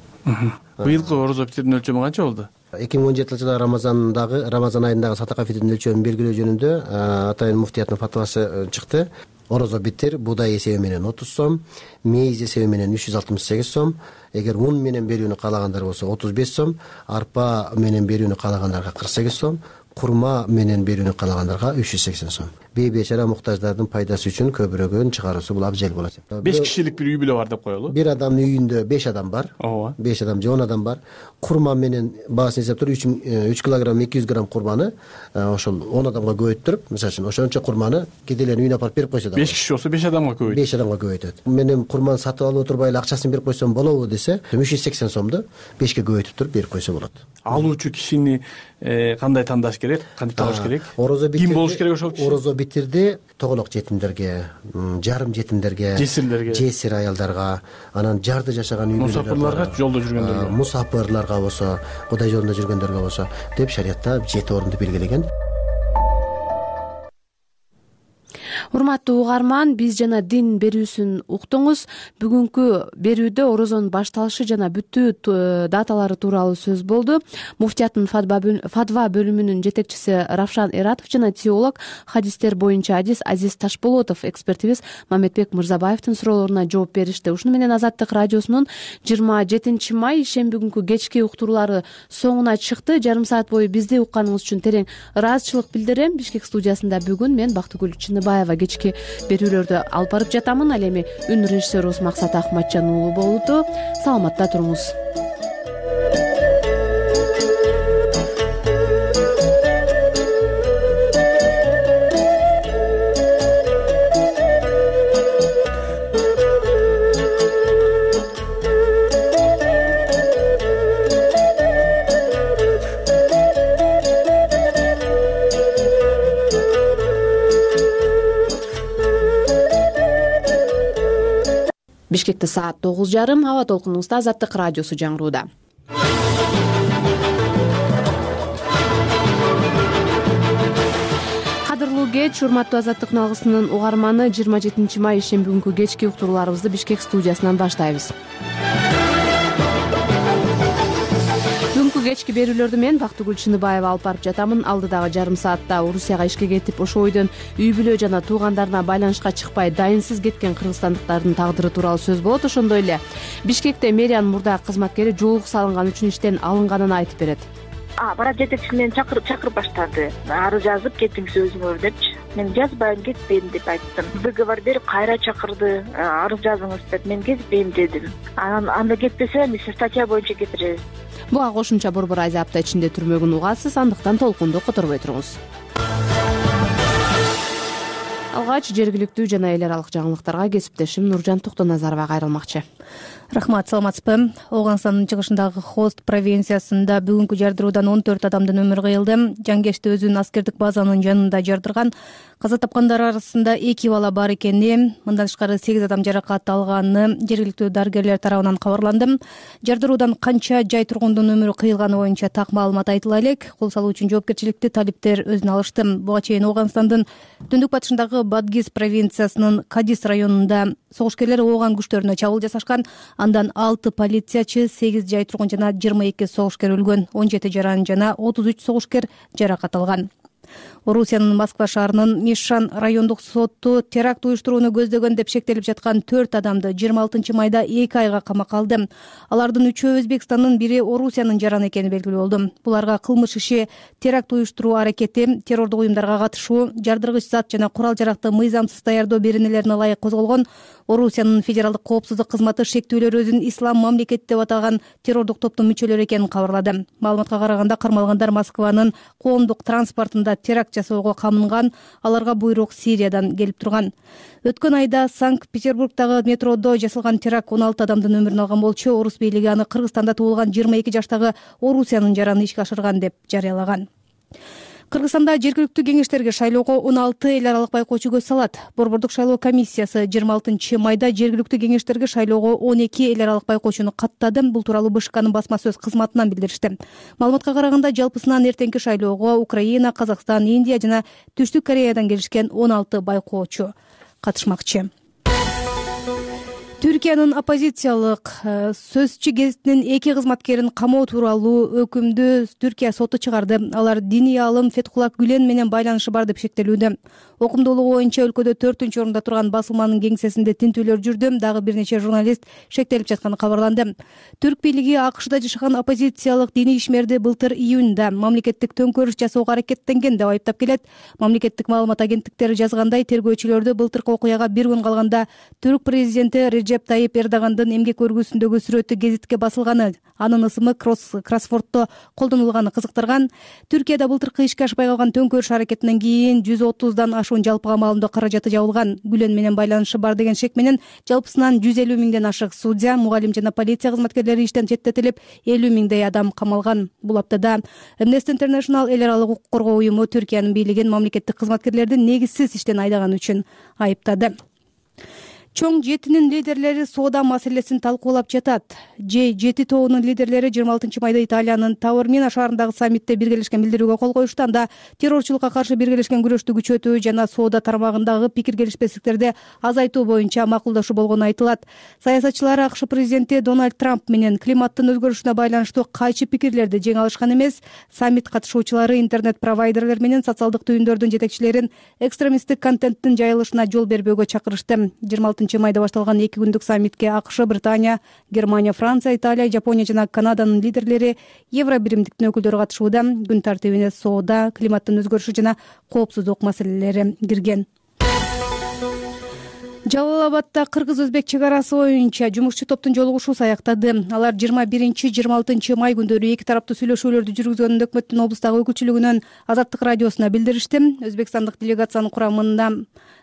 Быйылкы орозо фитрдин өлчөмү канча болду? эки миң он жетинчи жылы Рамазандагы Рамазан айындагы сатака фитрдин өлчөмүн белгилөө жөнүндө атайын муфтияттын фатвасы чыкты. Орозо битир буудай эсеби менен отуз сом, мейиз эсеби менен үч жүз алтымыш сегиз сом, эгер ун менен берүүнү каалагандар болсо отуз беш сом, арпа менен берүүнү каалагандарга кырк сегиз сом, курма менен берүүнү каалагандарга үч жүз сексен сом. Бейбечара муктаждардын пайдасы үчүн көбүрөгөн чыгаруусу бул абжел болот. беш кишилик бир үй бүлө бар деп коелу. Бир адамдын үйүндө беш адам бар. Ооба. беш адам же он адам бар. Курма менен баасын эсептеп үч килограмм эки жүз грамм курманы ошол он адамга көбөйттүрүп, мисалы үчүн ошончо курманы кедейлердин үйүнө апарып берип койсо да. беш киши болсо беш адамга көбөйт. беш адамга көбөйтөт. Менен курманы сатып алып отурбай эле акчасын берип койсом болобу десе, үч жүз сексен сомду бешке көбөйтүп туруп берип койсо болот. Алуучу кишини кандай тандаш керек, кантип табыш керек? Орозо битирди. Ким болуш керек ошол киши? Орозо битирди тоголок жетимдерге, жарым жетимдерге, жесирлерге, жесир аялдарга, анан жарды жашаган үй бүлөлөргө, мусафирларга, жолдо жүргөндөргө, мусафирларга болсо, Кудай жолунда жүргөндөргө болсо деп шариятта жети орунду белгилеген. Урматтуу угарман, биз жана дин берүүсүн уктуңуз. Бүгүнкү берүүдө орозонун башталышы жана бүтүү даталары тууралуу сөз болду. Муфтияттын фатва бөлүмүнүн жетекчиси Равшан Эратов жана теолог, хадистер боюнча адис Азиз Ташболотов, экспертибиз Мамедбек Мырзабаевдин суроолоруна жооп беришти. Ушуну менен Азаттык радиосунун жыйырма жетинчи май ишемби күнкү кечки уктуруулары соңуна чыкты. Жарым саат бою бизди укканыңыз үчүн терең ыраазычылык билдирем. Бишкек студиясында бүгүн мен Бактыгүл Чыныбаева кечки берүүлөрдү алып барып жатамын. Ал эми үн режиссерубуз Максат Акматжан уулу болду. Саламатта туруңуз. Бишкекте саат тогуз жарым. Аба толкунубузда Азаттык радиосу жаңырууда. Кадырлуу кеч, урматтуу Азаттык налгысынын угарманы. жыйырма жетинчи май ишемби күнкү кечки уктурууларыбызды Бишкек студиясынан баштайбыз. Бүгүнкү кечки берүүлөрдү мен Бактыгүл Чыныбаева алып барып жатамын. Алдыдагы жарым саатта Орусияга ишке кетип, ошол бойдон үй бүлө жана туугандарына байланышка чыкпай дайынсыз кеткен кыргызстандыктардын тагдыры тууралуу сөз болот. Ошондой эле Бишкекте мэриянын мурдагы кызматкери жоолук салынган үчүн иштен алынганын айтып берет. Бара жетекчи мени чакырып чакырып баштады. Арыз жазып кетиңиз өзүңөр депчи. Мен жазбайм, кетпейм деп айттым. Договор берип кайра чакырды. Арыз жазыңыз деп. Мен кетпейм дедим. Анан анда кетпесем, статья боюнча кетиребиз. Буга кошумча борбор айда апта ичинде түрмөгүн угасыз, андыктан толкунду которбой туруңуз. Алгач жергиликтүү жана эл аралык жаңылыктарга кесиптешим Нуржан Токтоназарова кайрылмакчы. Рахмат, саламатсызбы? Оганстандын чыгышындагы Хост провинциясында бүгүнкү жардыруудан он төрт адамдын өмүрү кыйылды. Жангешти өзүнүн аскердик базанын жанында жардырган. Каза тапкандар арасында эки бала бар экени, мындан тышкары сегиз адам жаракат алганы жергиликтүү дарыгерлер тарабынан кабарланды. Жардыруудан канча жай тургундун өмүрү кыйылганы боюнча так маалымат айтыла элек. Кол салуу үчүн жоопкерчиликти талиптер өзүнө алышты. Буга чейин Оганстандын түндүк батышындагы Бадгиз провинциясынын Кадис районунда согушкерлер ооган күчтөрүнө чабуул жасашкан. Андан алты полициячы, сегиз жай тургун жана жыйырма эки согушкер өлгөн, он жети жаран жана отуз үч согушкер жаракат алган. Орусиянын Москва шаарынын Мишан райондук соту теракт уюштурууну көздөгөн деп шектелип жаткан төрт адамды жыйырма алтынчы майда эки айга камакка алды. Алардын үчөө Өзбекстандын, бири Орусиянын жараны экени белгилүү болду. Буларга кылмыш иши, теракт уюштуруу аракети, террордук уюмдарга катышуу, жардыргыч зат жана курал-жаракты мыйзамсыз даярдоо беренелерине ылайык козголгон. Орусиянын федералдык коопсуздук кызматы шектүүлөр өзүн ислам мамлекети деп атаган террордук топтун мүчөлөрү экенин кабарлады. Маалыматка караганда кармалгандар Москванын коомдук транспортунда теракт жасоого камынган, аларга буйрук Сириядан келип турган. Өткөн айда Санкт-Петербургдагы метродо жасалган теракт он алты адамдын өмүрүн алган болчу. Орус бийлиги аны Кыргызстанда туулган жыйырма эки жаштагы Орусиянын жараны ишке ашырган деп жарыялаган. Кыргызстанда жергиликтүү кеңештерге шайлоого он алты эл аралык байкоочу көз салат. Борбордук шайлоо комиссиясы жыйырма алтынчы майда жергиликтүү кеңештерге шайлоого он эки эл аралык байкоочуну каттады. Бул тууралуу БШКнын басма сөз кызматынан билдиришти. Маалыматка караганда жалпысынан эртеңки шайлоого Украина, Казакстан, Индия жана Түштүк Кореядан келишкен он алты байкоочу катышмакчы. Түркиянын оппозициялык сөзчү гезитинин эки кызматкерин камоо тууралуу өкүмдү Түркия соту чыгарды. Алар диний аалым Фетхуллах Гүлен менен байланышы бар деп шектелүүдө. Окумдуулугу боюнча өлкөдө төртүнчү орунда турган басылманын кеңсесинде тинтүүлөр жүрдү. Дагы бир нече журналист шектелип жатканы кабарланды. Түрк бийлиги АКШда жашаган оппозициялык диний ишмерди былтыр июнда мамлекеттик төңкөрүш жасоого аракеттенген деп айыптап келет. Мамлекеттик маалымат агенттиктери жазгандай, тергөөчүлөрдү былтыркы окуяга бир күн калганда түрк президенти Реджеп Тайип Эрдогандын эмгек өргүсүндөгү сүрөтү гезитке басылганы, анын ысымы кроссвордто колдонулганы кызыктырган. Түркияда былтыркы ишке ашпай калган төңкөрүш аракетинен кийин жүз отуздан ашуун жалпыга маалымдоо каражаты жабылган. Гүлен менен байланышы бар деген шек менен жалпысынан жүз элүү миңден ашык судья, мугалим жана полиция кызматкерлери иштен четтетилип, элүү миңдей адам камалган. Бул аптада Amnesty International эл аралык укук коргоо уюму Түркиянын бийлигин мамлекеттик кызматкерлерди негизсиз иштен айдаган үчүн айыптады. Чоң жетинин лидерлери соода маселесин талкуулап жатат. Ж жети тобунун лидерлери жыйырма алтынчы майда Италиянын Тавормина шаарындагы саммитте биргелешкен билдирүүгө кол коюшту. Анда террорчулукка каршы биргелешкен күрөштү күчөтүү жана соода тармагындагы пикир келишпестиктерди азайтуу боюнча макулдашуу болгону айтылат. Саясатчылар АКШ президенти Дональд Трамп менен климаттын өзгөрүшүнө байланыштуу кайчы пикирлерди жеңе алышкан эмес. Саммит катышуучулары интернет провайдерлер менен социалдык түйүндөрдүн жетекчилерин экстремисттик контенттин жайылышына жол бербөөгө чакырышты. жыйырма алтынчы майда башталган эки күндүк саммитке АКШ, Британия, Германия, Франция, Италия, Жапония жана Канаданын лидерлери, Евро биримдиктин өкүлдөрү катышууда. Күн тартибине соода, климаттын өзгөрүшү жана коопсуздук маселелери кирген. Жалал Абадда кыргыз-өзбек чек арасы боюнча жумушчу топтун жолугушуусу аяктады. Алар жыйырма биринчи жыйырма алтынчы май күндөрү эки тараптуу сүйлөшүүлөрдү жүргүзгөнүн өкмөттүн облустагы өкүлчүлүгүнөн Азаттык радиосуна билдиришти. Өзбекстандык делегациянын курамында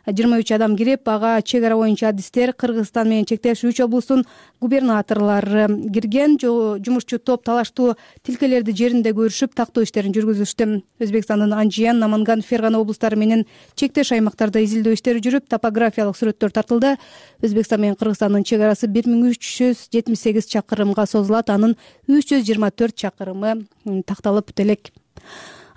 жыйырма үч адам кирип, ага чек ара боюнча адистер, Кыргызстан менен чектеш үч облустун губернаторлору кирген. Жумушчу топ талаштуу тилкелерди жеринде көрүшүп, тактоо иштерин жүргүзүштү. Өзбекстандын Анжиян, Наманган, Фергана облустары менен чектеш аймактарда изилдөө иштери жүрүп, топографиялык сүрөттөр тартылды. Өзбекстан менен Кыргызстандын чек арасы бир миң үч жүз жетимиш сегиз чакырымга созулат. Анын үч жүз жыйырма төрт чакырымы такталып бүтө элек.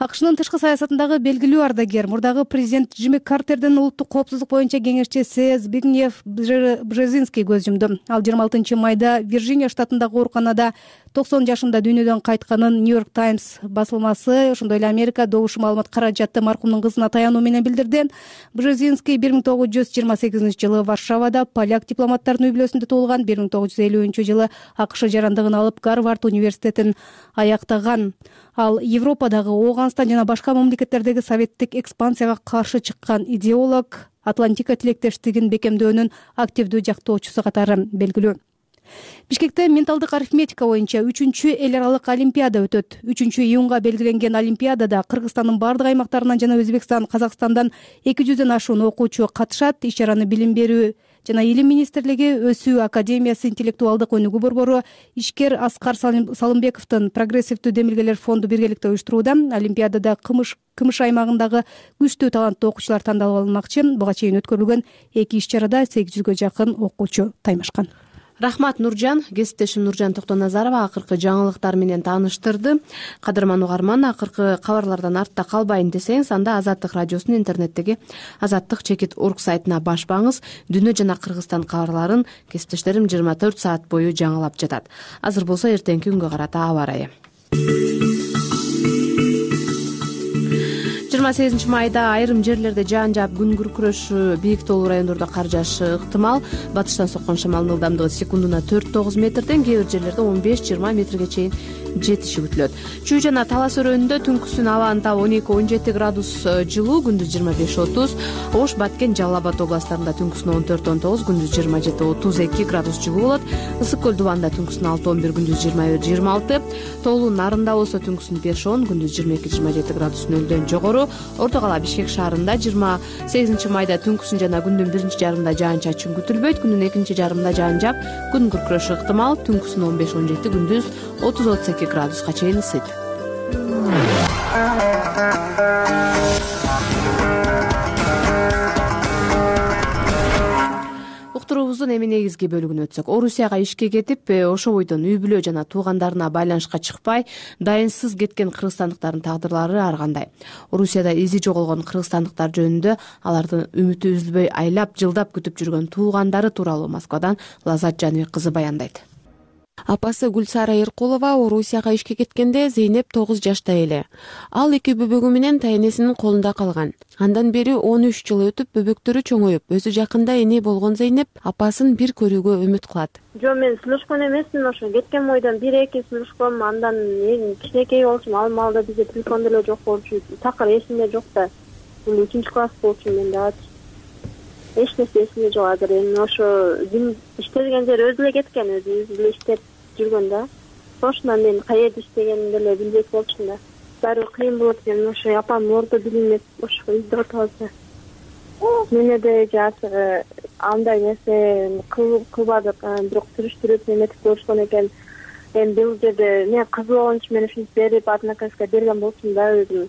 АКШнын тышкы саясатындагы белгилүү ардагер, мурдагы президент Джимми Картердин улуттук коопсуздук боюнча кеңешчиси Збигнев Бжезинский көз жумду. Ал жыйырма алтынчы майда Вирджиния штатындагы ооруканада токсон жашында дүйнөдөн кайтканын Нью-Йорк Таймс басылмасы, ошондой эле Америка добуш маалымат каражаты маркумдун кызына таянуу менен билдирди. Бжезинский бир миң тогуз жүз жыйырма сегизинчи жылы Варшавада поляк дипломаттарынын үй бүлөсүндө туулган. бир миң тогуз жүз элүүнчү жылы АКШ жарандыгын алып, Гарвард университетин аяктаган. Ал Европадагы, Ооганстан жана башка мамлекеттердеги советтик экспансияга каршы чыккан идеолог, Атлантика тилектештигин бекемдөөнүн активдүү жактоочусу катары белгилүү. Бишкекте менталдык арифметика боюнча үчүнчү эл аралык олимпиада өтөт. үчүнчү июнга белгиленген олимпиадада Кыргызстандын бардык аймактарынан жана Өзбекстан, Казакстандан эки жүздөн ашуун окуучу катышат. Иш-чараны Билим берүү жана Илим министрлиги, Өсүү академиясы, интеллектуалдык өнүгүү борбору, ишкер Аскар Салымбековдун прогрессивдүү демилгелер фонду биргеликте уюштурууда. Олимпиадада Кымыш Кымыш аймагындагы күчтүү таланттуу окуучулар тандалып алынмакчы. Буга чейин өткөрүлгөн эки иш-чарада сегиз жүзгө жакын окуучу таймашкан. Рахмат, Нуржан. Кесиптешим Нуржан Токтоназарова акыркы жаңылыктар менен тааныштырды. Кадырман угарман, акыркы кабарлардан артта калбайын десеңиз, анда Азаттык радиосунун интернеттеги азаттык чекит орг сайтына баш баңыз. Дүйнө жана Кыргызстан кабарларын кесиптештерим жыйырма төрт саат бою жаңылап жатат. Азыр болсо эртеңки күнгө карата аба ырайы. жыйырма сегизинчи майда айрым жерлерде жаан жаап, күн күркүрөшү, бийик тоолуу райондордо кар жаашы ыктымал. Батыштан соккон шамалдын ылдамдыгы секундуна төрт тогуз метрден, кээ бир жерлерде он беш жыйырма метрге чейин жетиши күтүлөт. Чүй жана Талас өрөөнүндө түнкүсүн абанын табы он эки он жети градус жылуу, күндүз жыйырма беш отуз. Ош, Баткен, Жалал Абад областтарында түнкүсүн он төрт он тогуз, күндүз жыйырма жети отуз эки градус жылуу болот. Ысык көл Дубанда түнкүсүн алты он бир, күндүз жыйырма бир жыйырма алты. Тоолуу Нарында болсо түнкүсүн беш он, күндүз жыйырма эки жыйырма жети градус нөлдөн жогору. Орто кала Бишкек шаарында жыйырма сегизинчи майда түнкүсүн жана күндүн биринчи жарымында жаан-чачын күтүлбөйт. Күндүн экинчи жарымында жаан жаап, күн күркүрөшү ыктымал. Түнкүсүн он беш он жети, күндүз отуз отуз эки градуска чейин ысыйт. Уктуруубуздун эми негизги бөлүгүнө өтсөк, Орусияга ишке кетип, ошо бойдон үй бүлө жана туугандарына байланышка чыкпай, дайынсыз кеткен кыргызстандыктардын тагдырлары ар кандай? Орусияда изи жоголгон кыргызстандыктар жөнүндө алардын үмүтү үзүлбөй айлап, жылдап күтүп жүргөн туугандары тууралуу Москвадан Лазат Жаныбек кызы баяндайт. Апасы Гүлсара Эркулова Орусияга ишке кеткенде Зейнеп тогуз жашта эле. Ал эки бөбөгү менен тайэнесинин колунда калган. Андан бери он үч жыл өтүп, бөбөктөрү чоңоюп, өзү жакында эне болгон Зейнеп апасын бир көрүүгө үмүт кылат. Жок, мен сүйлөшкөн эмесмин, ошо кеткен бойдон бир эки сүйлөшкөм, андан кичинекей болчумун, ал маалда бизде телефон деле жок болчу, такыр эсимде жок да. Бул үчүнчү класс болчумун мен да. Эч нерсе эсимде жок азыр. Эми ошо иштеген жери өзү эле кеткен, өзү эле иштеп жүргөн да. Ошондон мен каерде иштегенин деле билбек болчумун да. Баары кыйын болот экен, ошо апам ордо билинет, ошо үйдө отурса. Менде да азыр андай нерсе кылбадык, бирок сүрүштүрүп эметип көрүшкөн экен. Эми бул жерде мен кыз болгон үчүн мен ушинтип берип, однокласска берген болчумун да өзүм.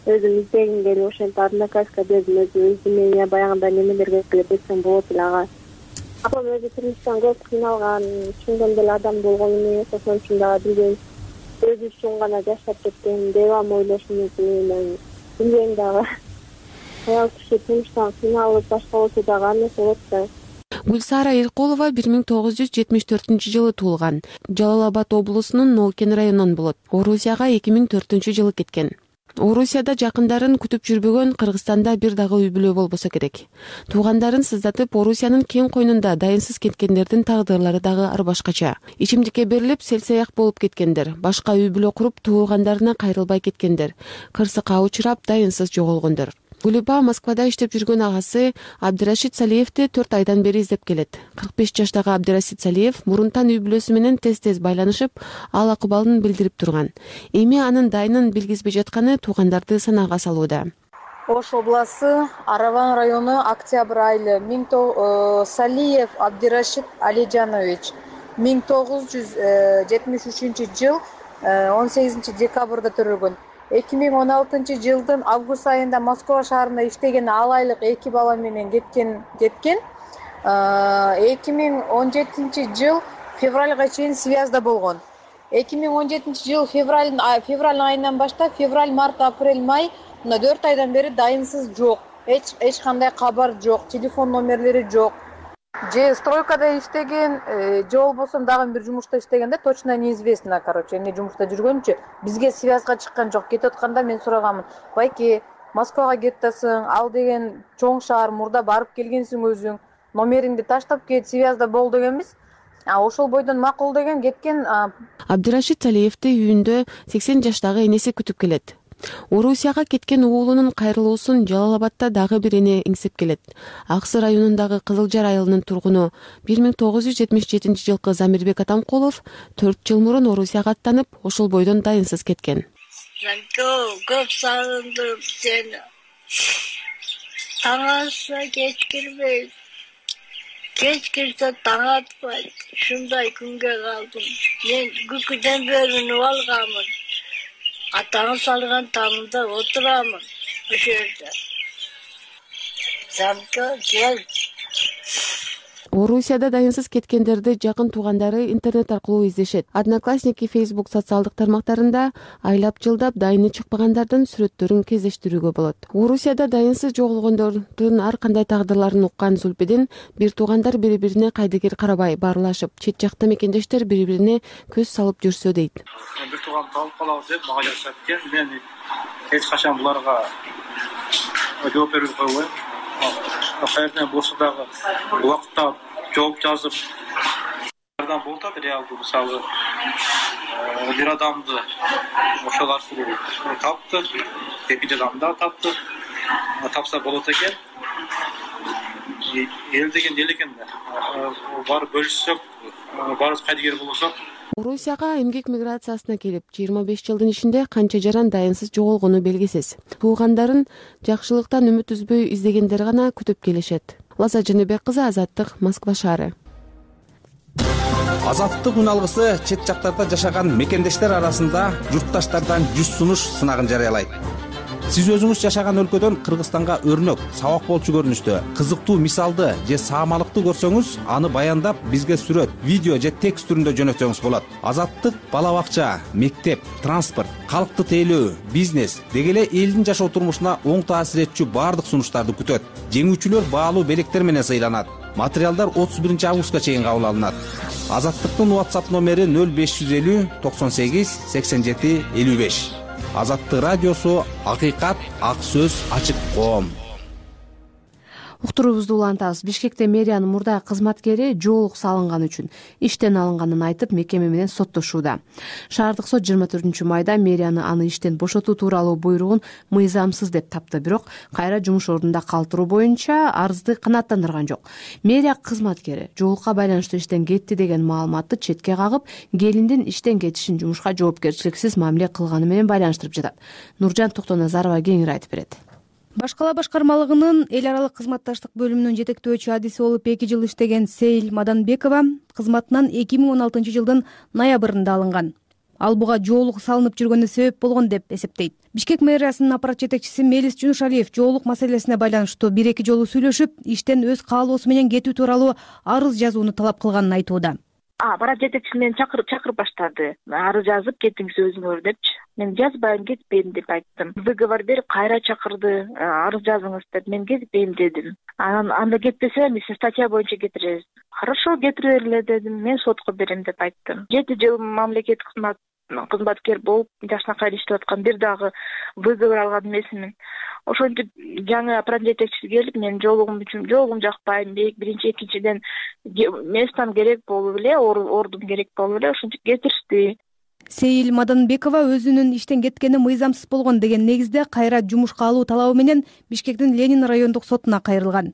Өзүм издегим келип, ошентип однокласска бердим, өзүм өзүмө баягындай немелерге келип берсем болот эле ага. Апам өзү турмуштан көп кыйналган, чындын деле адам болгон эмес, ошон үчүн дагы билбейм. Өзү үчүн гана жашап кеткен, девам ойлошум үчүн мен билбейм дагы. Аял киши турмуштан кыйналып башка болсо дагы ар нерсе болот да. Гүлсара Эркулова бир миң тогуз жүз жетимиш төртүнчү жылы туулган. Жалал Абад облусунун Нолкен районунан болот. Орусияга эки миң төртүнчү жылы кеткен. Орусияда жакындарын күтүп жүрбөгөн, Кыргызстанда бир дагы үй бүлө болбосо керек. Туугандарын сыздатып, Орусиянын кең койнунда дайынсыз кеткендердин тагдырлары дагы ар башкача. Ичимдикке берилип, селсаяк болуп кеткендер, башка үй бүлө куруп, туугандарына кайрылбай кеткендер, кырсыкка учурап, дайынсыз жоголгондор. Гүлипа Москвада иштеп жүргөн агасы Абдырашид Салиевди төрт айдан бери издеп келет. кырк беш жаштагы Абдырашид Салиев мурунтан үй бүлөсү менен тез-тез байланышып, ал акыбалын билдирип турган. Эми анын дайынын билгизбей жатканы туугандарды санаага салууда. Ош областы Араван району, октябрь айы. Салиев Абдирашид Алижанович миң тогуз жүз жетимиш үчүнчү жыл он сегизинчи декабрда төрөлгөн. эки миң он алтынчы жылдын август айында Москва шаарында иштеген ал айлык эки бала менен кеткен кеткен. эки миң он жетинчи жыл февралга чейин связьда болгон. эки миң он жетинчи жыл февраль февраль айынан баштап февраль, март, апрель, май мына төрт айдан бери дайынсыз жок. Эч эч кандай кабар жок, телефон номерлери жок. Же стройкада иштеген, же болбосо дагы бир жумушта иштеген да, точно неизвестно, короче, эмне жумушта жүргөнүчү. Бизге связьга чыккан жок. Кетип атканда мен сураганмын. Байке, Москвага кетип атасың, ал деген чоң шаар, мурда барып келгенсиң өзүң. Номериңди таштап кет, связьда бол дегенбиз. А ошол бойдон макул деген кеткен. Абдирашид Салиевди үйүндө сексен жаштагы энеси күтүп келет. Орусияга кеткен уулунун кайрылуусун Жалал Абадта дагы бир эне эңсеп келет. Аксы районундагы Кызыл Жар айылынын тургуну бир миң тогуз жүз жетимиш жетинчи жылкы Замирбек Атамкулов төрт жыл мурун Орусияга аттанып, ошол бойдон дайынсыз кеткен. Көп сагындым сени. Таң атса кеч кирбейт. Кеч кирсе таң атпайт. Ушундай күнгө калдым. Мен күкүдөн бөлүнүп алганмын. Атаңы салган тамында отурамын ошол жерде. Замка кел. Орусияда дайынсыз кеткендерди жакын туугандары интернет аркылуу издешет. Одноклассники, Facebook социалдык тармактарында айлап жылдап дайыны чыкпагандардын сүрөттөрүн кездештирүүгө болот. Орусияда дайынсыз жоголгондордун ар кандай тагдырларын уккан Зулпидин бир туугандар бири-бирине кайдыгер карабай баарлашып, чет жакта мекендештер бири-бирине көз салып жүрсө дейт. Бир тууган калып калабыз деп мага жазышат экен. Мен эч качан буларга жооп берип койбойм. Кайерден болсо дагы убакытта жооп жазып жардам болуп атат. Реалдуу мисалы бир адамды ошол аркылуу тапты, экинчи адамды да тапты. Тапса болот экен. Эл деген эл экен да. Барып бөлүшсөк, барыбыз кайдыгер болсок. Орусияга эмгек миграциясына келип, жыйырма беш жылдын ичинде канча жаран дайынсыз жоголгону белгисиз. Туугандарын жакшылыктан үмүт үзбөй издегендер гана күтүп келишет. Лаза Жаныбек кызы, Азаттык, Москва шаары. Азаттык үн алгысы чет жактарда жашаган мекендештер арасында журтташтардан жүз сунуш сынагын жарыялайт. Сиз өзүңүз жашаган өлкөдөн Кыргызстанга өрнөк, сабак болчу көрүнүштө, кызыктуу мисалды же саамалыкты көрсөңүз, аны баяндап бизге сүрөт, видео же текст түрүндө жөнөтсөңүз болот. Азаттык бала бакча, мектеп, транспорт, калкты тейлөө, бизнес деги эле элдин жашоо турмушуна оң таасир этчү баардык сунуштарды күтөт. Жеңүүчүлөр баалуу белектер менен сыйланат. Материалдар отуз биринчи августка чейин кабыл алынат. Азаттыктын WhatsApp номери нөл беш жүз элүү токсон сегиз сексен жети элүү беш. Азаттык радиосу, акыйкат, ак сөз, ачык коом. Уктуруубузду улантабыз. Бишкекте мэриянын мурда кызматкери жоолук салынган үчүн иштен алынганын айтып, мекеме менен соттошууда. Шаардык сот жыйырма төртүнчү майда мэрияны аны иштен бошотуу тууралуу буйругун мыйзамсыз деп тапты, бирок кайра жумуш ордунда калтыруу боюнча арызды канааттандырган жок. Мэрия кызматкери жоолукка байланыштуу иштен кетти деген маалыматты четке кагып, келиндин иштен кетишин жумушка жоопкерчиликсиз мамиле кылганы менен байланыштырып жатат. Нуржан Токтоназарова кеңири айтып берет. Башкала башкармалыгынын эл аралык кызматташтык бөлүмүнүн жетектөөчү адиси болуп эки жыл иштеген Сейил Маданбекова кызматынан эки миң он алтынчы жылдын ноябрында алынган. Ал буга жоолук салынып жүргөнү себеп болгон деп эсептейт. Бишкек мэриясынын аппарат жетекчиси Мелис Жунушалиев жоолук маселесине байланыштуу бир эки жолу сүйлөшүп, иштен өз каалоосу менен кетүү тууралуу арыз жазууну талап кылганын айтууда. Аппарат жетекчиси мени чакырып чакырып баштады. Арыз жазып кетиңиз өзүңөр депчи. Мен жазбайм, кетпейм деп айттым. Выговор берип кайра чакырды. Арыз жазыңыз деп, мен кетпейм дедим. Анан анда кетпесе, биз статья боюнча кетиребиз. Хорошо, кетире бергиле дедим. Мен сотко берем деп айттым. жети жыл мамлекеттик кызмат кызматкер болуп, жашына иштеп аткан, бир дагы выговор алган эмесмин. Ошентип жаңы аппарат жетекчиси келип, мен жоолугум үчүн жоолугум жакпайм, биринчи, экинчиден местам керек болуп эле, ордум керек болуп эле, ошентип кетиришти. Сейил Маданбекова өзүнүн иштен кеткени мыйзамсыз болгон деген негизде кайра жумушка алуу талабы менен Бишкектин Ленин райондук сотуна кайрылган.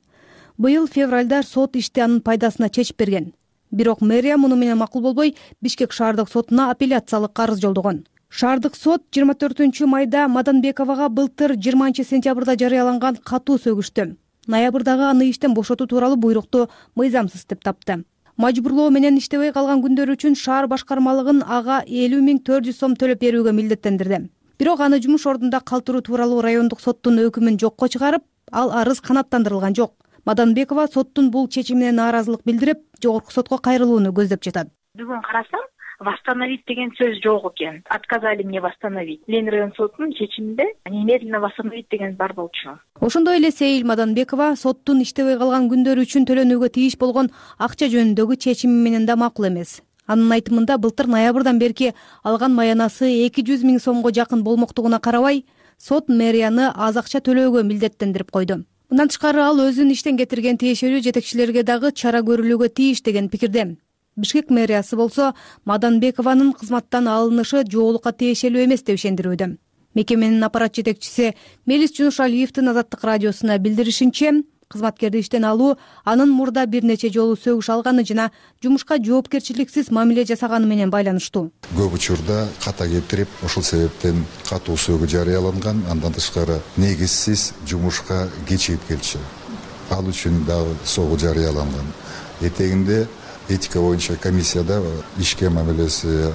Быйыл февралда сот ишти анын пайдасына чечип берген. Бирок мэрия муну менен макул болбой, Бишкек шаардык сотуна апелляциялык арыз жолдогон. Шаардык сот жыйырма төртүнчү майда Маданбековага былтыр жыйырманчы сентябрда жарыяланган катуу сөгүштү. Ноябрдагы аны иштен бошотуу тууралуу буйрукту мыйзамсыз деп тапты. Мажбурлоо менен иштебей калган күндөр үчүн шаар башкармалыгын ага элүү миң төрт жүз сом төлөп берүүгө милдеттендирди. Бирок аны жумуш ордунда калтыруу тууралуу райондук соттун өкүмүн жокко чыгарып, ал арыз канааттандырылган жок. Маданбекова соттун бул чечимине нааразылык билдирип, жогорку сотко кайрылууну көздөп жатат. Бүгүн карасам, восстановить деген сөз жок экен. Отказали мне восстановить. Ленин район сотунун чечиминде немедленно восстановить деген бар болчу. Ошондой эле Сейил Маданбекова соттун иштебей калган күндөр үчүн төлөнүүгө тийиш болгон акча жөнүндөгү чечими менен да макул эмес. Анын айтымында былтыр ноябрдан берки алган маянасы эки жүз миң сомго жакын болмоктугуна карабай, сот мэрияны аз акча төлөөгө милдеттендирип койду. Мындан тышкары ал өзүн иштен кетирген тиешелүү жетекчилерге дагы чара көрүлүүгө тийиш деген пикирде. Бишкек мэриясы болсо Маданбекованын кызматтан алынышы жоолукка тиешелүү эмес деп ишендирүүдө. Мекеменин аппарат жетекчиси Мелис Жунушалиевдин Азаттык радиосуна билдиришинче, кызматкерди иштен алуу анын мурда бир нече жолу сөгүш алганы жана жумушка жоопкерчиликсиз мамиле жасаганы менен байланыштуу. Көп учурда ката келтирип, ошол себептен катуу сөгүү жарыяланган, андан тышкары негизсиз жумушка кечигип келчү. Ал үчүн дагы согуу жарыяланган. Этегинде этика боюнча комиссияда ишке мамилеси,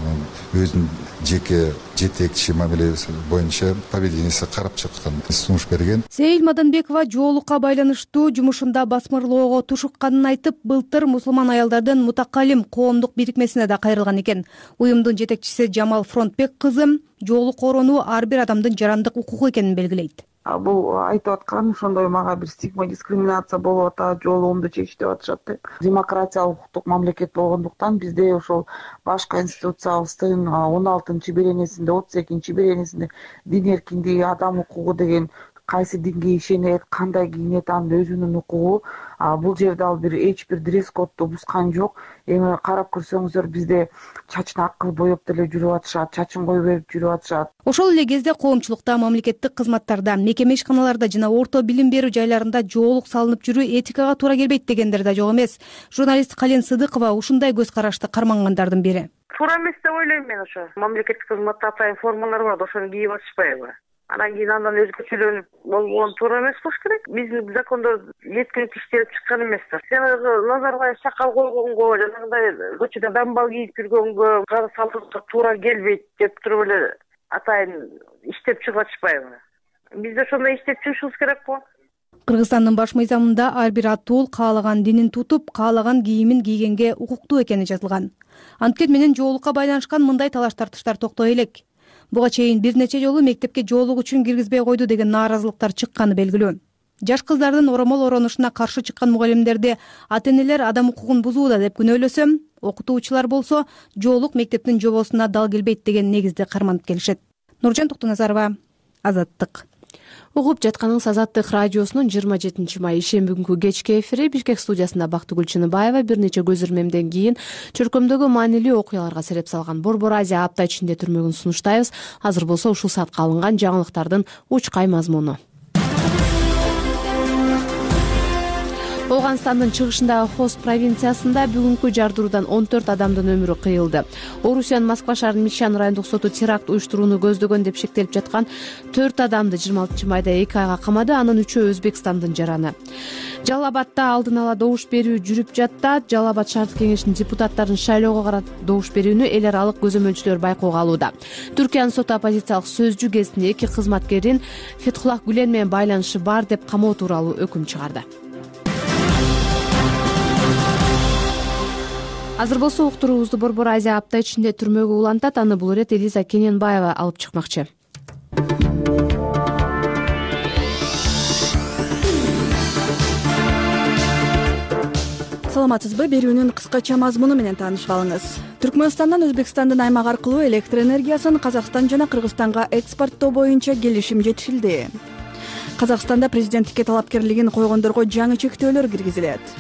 өзүнүн жеке жетекчи мамилеси боюнча поведениясы карап чыккан, сунуш берген. Сейил Маданбекова жоолукка байланыштуу жумушунда басмырлоого тушукканын айтып, былтыр мусулман аялдардын Мутакалим коомдук бирикмесине да кайрылган экен. Уюмдун жетекчиси Жамал Фронтбек кызы жоолук коронуу ар бир адамдын жарандык укугу экенин белгилейт. Бул айтып аткан ошондой мага бир стигма, дискриминация болуп атат, жоолугумду чечти деп атышат деп. Демократиялык укуктук мамлекет болгондуктан бизде ошол баш конституциябыздын он алтынчы беренесинде, отуз экинчи беренесинде дин эркиндиги, адам укугу деген кайсы динге ишенет, кандай кийинет анын өзүнүн укугу. Бул жерде ал бир эч бир дресс кодду бузган жок. Эми карап көрсөңүздөр бизде чачын ак кылып боеп деле жүрүп атышат, чачын кое берип жүрүп атышат. Ошол эле кезде коомчулукта, мамлекеттик кызматтарда, мекеме ишканаларда жана орто билим берүү жайларында жоолук салынып жүрүү этикага туура келбейт дегендер да жок эмес. Журналист Кален Сыдыкова ушундай көз карашты кармангандардын бири. Туура эмес деп ойлойм мен. Ошо мамлекеттик кызматта атайын формалар бар, ошону кийип атышпайбы? Анан кийин андан өзгөчөлөнүп болгон туура эмес болуш керек. Биздин закондо жеткиликтүү иштелип чыккан эместир. Жанагы Назарбаев сакал койгонго, жанагындай көчөдө дамбал кийип жүргөнгө, кара салтыкка туура келбейт деп туруп эле атайын иштеп чыгып атышпайбы? Биз да ошондой иштеп чыгышыбыз керек го. Кыргызстандын баш мыйзамында ар бир атуул каалаган динин тутуп, каалаган кийимин кийгенге укуктуу экени жазылган. Анткени менен жоолукка байланышкан мындай талаш тартыштар токтой элек. Буга чейин бир нече жолу мектепке жоолук үчүн киргизбей койду деген нааразылыктар чыкканы белгилүү. Жаш кыздардын оромол оронушуна каршы чыккан мугалимдерди ата-энелер адам укугун бузууда деп күнөөлөсө, окутуучулар болсо жоолук мектептин жобосуна дал келбейт деген негизди карманып келишет. Нуржан Токтоназарова, Азаттык. Угуп жатканыңыз Азаттык радиосунун жыйырма жетинчи май ишемби күнгү кечки эфири. Бишкек студиясында Бактыгүл Чыныбаева бир нече көзөрмемден кийин чөркөмдөгү маанилүү окуяларга сереп салган Борбор Азия апта ичинде түрмөгүн сунуштайбыз. Азыр болсо ушул саатка алынган жаңылыктардын учкай мазмуну. Ооганстандын чыгышындагы Хост провинциясында бүгүнкү жардыруудан он төрт адамдын өмүрү кыйылды. Орусиянын Москва шаарынын Мишан райондук соту теракт уюштурууну көздөгөн деп шектелип жаткан төрт адамды жыйырма алтынчы майда эки айга камады. Анын үчөө Өзбекстандын жараны. Жалал Абадда алдын ала добуш берүү жүрүп жатат. Жалал Абад шаардык кеңешинин депутаттарын шайлоого карата добуш берүүнү эл аралык көзөмөлчүлөр байкоого алууда. Түркиянын соту оппозициялык сөзчү кезинде эки кызматкердин Фетхуллах Гүлен менен байланышы бар деп камоо тууралуу өкүм чыгарды. Азыр болсо уктуруубузду Борбор Азия апта ичинде түрмөгө улантат. Аны бул ирет Элиза Кененбаева алып чыкмакчы. Саламатсызбы? Берүүнүн кыскача мазмуну менен таанышып алыңыз. Түркмөнстандан Өзбекстандын аймак аркылуу электр энергиясын Казакстан жана Кыргызстанга экспорттоо боюнча келишим жетишилди. Казакстанда президенттикке талапкерлигин койгондорго жаңы чектөөлөр киргизилет.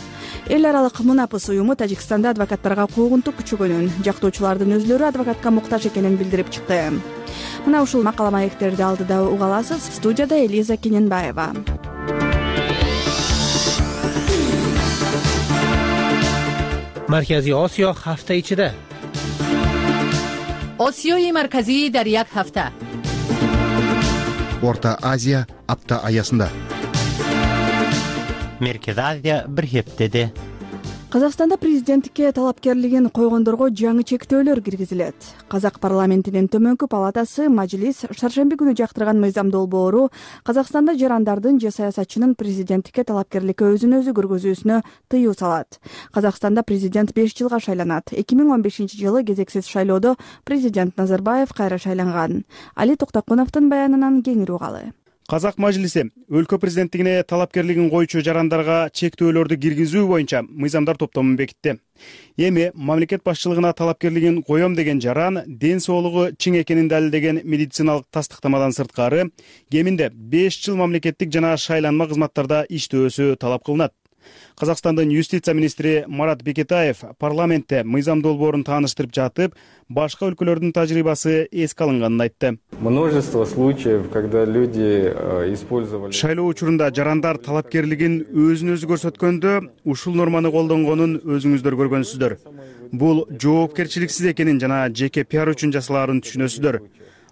Эл аралык Мунапыс уюму Тажикстанда адвокаттарга куугунтук күчөгөнүн, жактоочулардын өзлөрү адвокатка муктаж экенин билдирип чыкты. Мына ушул макала маектерди алдыда уга аласыз. Студияда Элиза Кененбаева. Markaziy Osiyo hafta ichida осиёи марказии дар як ҳафта. Орто Азия апта аясында. Меркез Азия бир хептеде. Казакстанда президенттикке талапкерлигин койгондорго жаңы чектөөлөр киргизилет. Казак парламентинин төмөнкү палатасы Мажлис шаршемби күнү жактырган мыйзам долбоору Казакстанда жарандардын же саясатчынын президенттикке талапкерликке өзүн өзү көргөзүүсүнө тыюу салат. Казакстанда президент беш жылга шайланат. эки миң он бешинчи жылы кезексиз шайлоодо президент Назарбаев кайра шайланган. Али Токтокуновдун баянынан кеңири угалы. Казак мажлиси өлкө президенттигине талапкерлигин коюучу жарандарга чектөөлөрдү киргизүү боюнча мыйзамдар топтомун бекитти. Эми мамлекет башчылыгына талапкерлигин коем деген жаран ден соолугу чың экенин далилдеген медициналык тастыктамадан сырткары кеминде беш жыл мамлекеттик жана шайланма кызматтарда иштөөсү талап кылынат. Казакстандын юстиция министри Марат Бекетаев парламентте мыйзам долбоорун тааныштырып жатып, башка өлкөлөрдүн тажрыйбасы эске алынганын айтты. Множество случаев, когда люди использовали. Шайлоо учурунда жарандар талапкерлигин өзүн өзү көрсөткөндө ушул норманы колдонгонун өзүңүздөр көргөнсүздөр. Бул жоопкерчиликсиз экенин жана жеке пиар үчүн жасалаарын түшүнөсүздөр.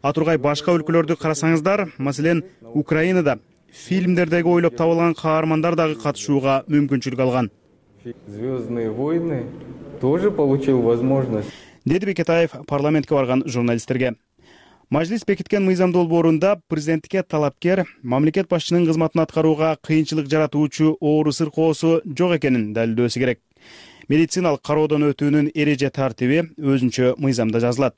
Атургай башка өлкөлөрдү карасаңыздар, маселен, Украинада фильмдердеги ойлоп табылган каармандар дагы катышууга мүмкүнчүлүк алган. Звездные войны тоже получил возможность. Деди Бекетаев парламентке барган журналисттерге. Мажлис бекиткен мыйзам долбоорунда президенттикке талапкер мамлекет башчынын кызматын аткарууга кыйынчылык жаратуучу оору сыркоосу жок экенин далилдөөсү керек. Медициналык кароодон өтүүнүн эреже тартиби өзүнчө мыйзамда жазылат.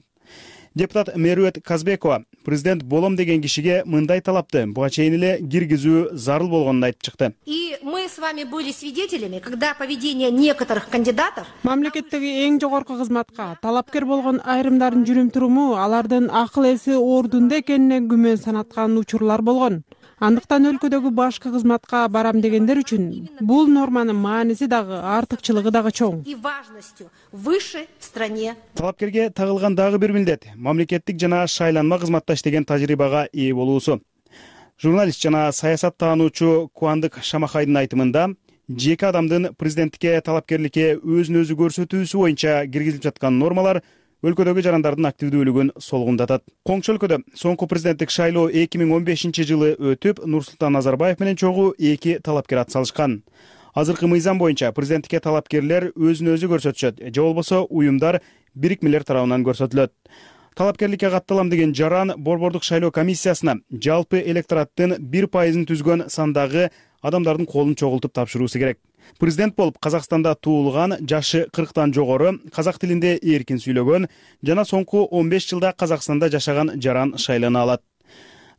Депутат Мерует Казбекова президент болом деген кишиге мындай талапты буга чейин эле киргизүү зарыл болгонун айтып чыкты. И мы с вами были свидетелями, когда поведение некоторых кандидатов мамлекеттеги эң жогорку кызматка талапкер болгон айрымдардын жүрүм-туруму алардын акыл эси ордунда экенине күмөн санаткан учурлар болгон. Андыктан өлкөдөгү башкы кызматка барам дегендер үчүн бул норманын мааниси дагы артыкчылыгы дагы чоң. И важностью выше в стране. Талапкерге тагылган дагы бир милдет мамлекеттик жана шайланма кызматта иштеген тажрыйбага ээ болуусу. Журналист жана саясаттаануучу Куандык Шамахайдын айтымында жеке адамдын президенттикке талапкерликке өзүн өзү көрсөтүүсү боюнча киргизилип жаткан нормалар өлкөдөгү жарандардын активдүүлүгүн солгундатат. Коңшу өлкөдө соңку президенттик шайлоо эки миң он бешинчи жылы өтүп, Нурсултан Назарбаев менен чогуу эки талапкер ат салышкан. Азыркы мыйзам боюнча президенттикке талапкерлер өзүн өзү көрсөтүшөт, же болбосо уюмдар бирикмелер тарабынан көрсөтүлөт. Талапкерликке катталам деген жаран Борбордук шайлоо комиссиясына жалпы электораттын бир пайызын түзгөн сандагы адамдардын колун чогултуп тапшыруусу керек. Президент болуп Казакстанда туулган, жашы кырктан жогору, казак тилинде эркин сүйлөгөн жана соңку он беш жылда Казакстанда жашаган жаран шайлана алат.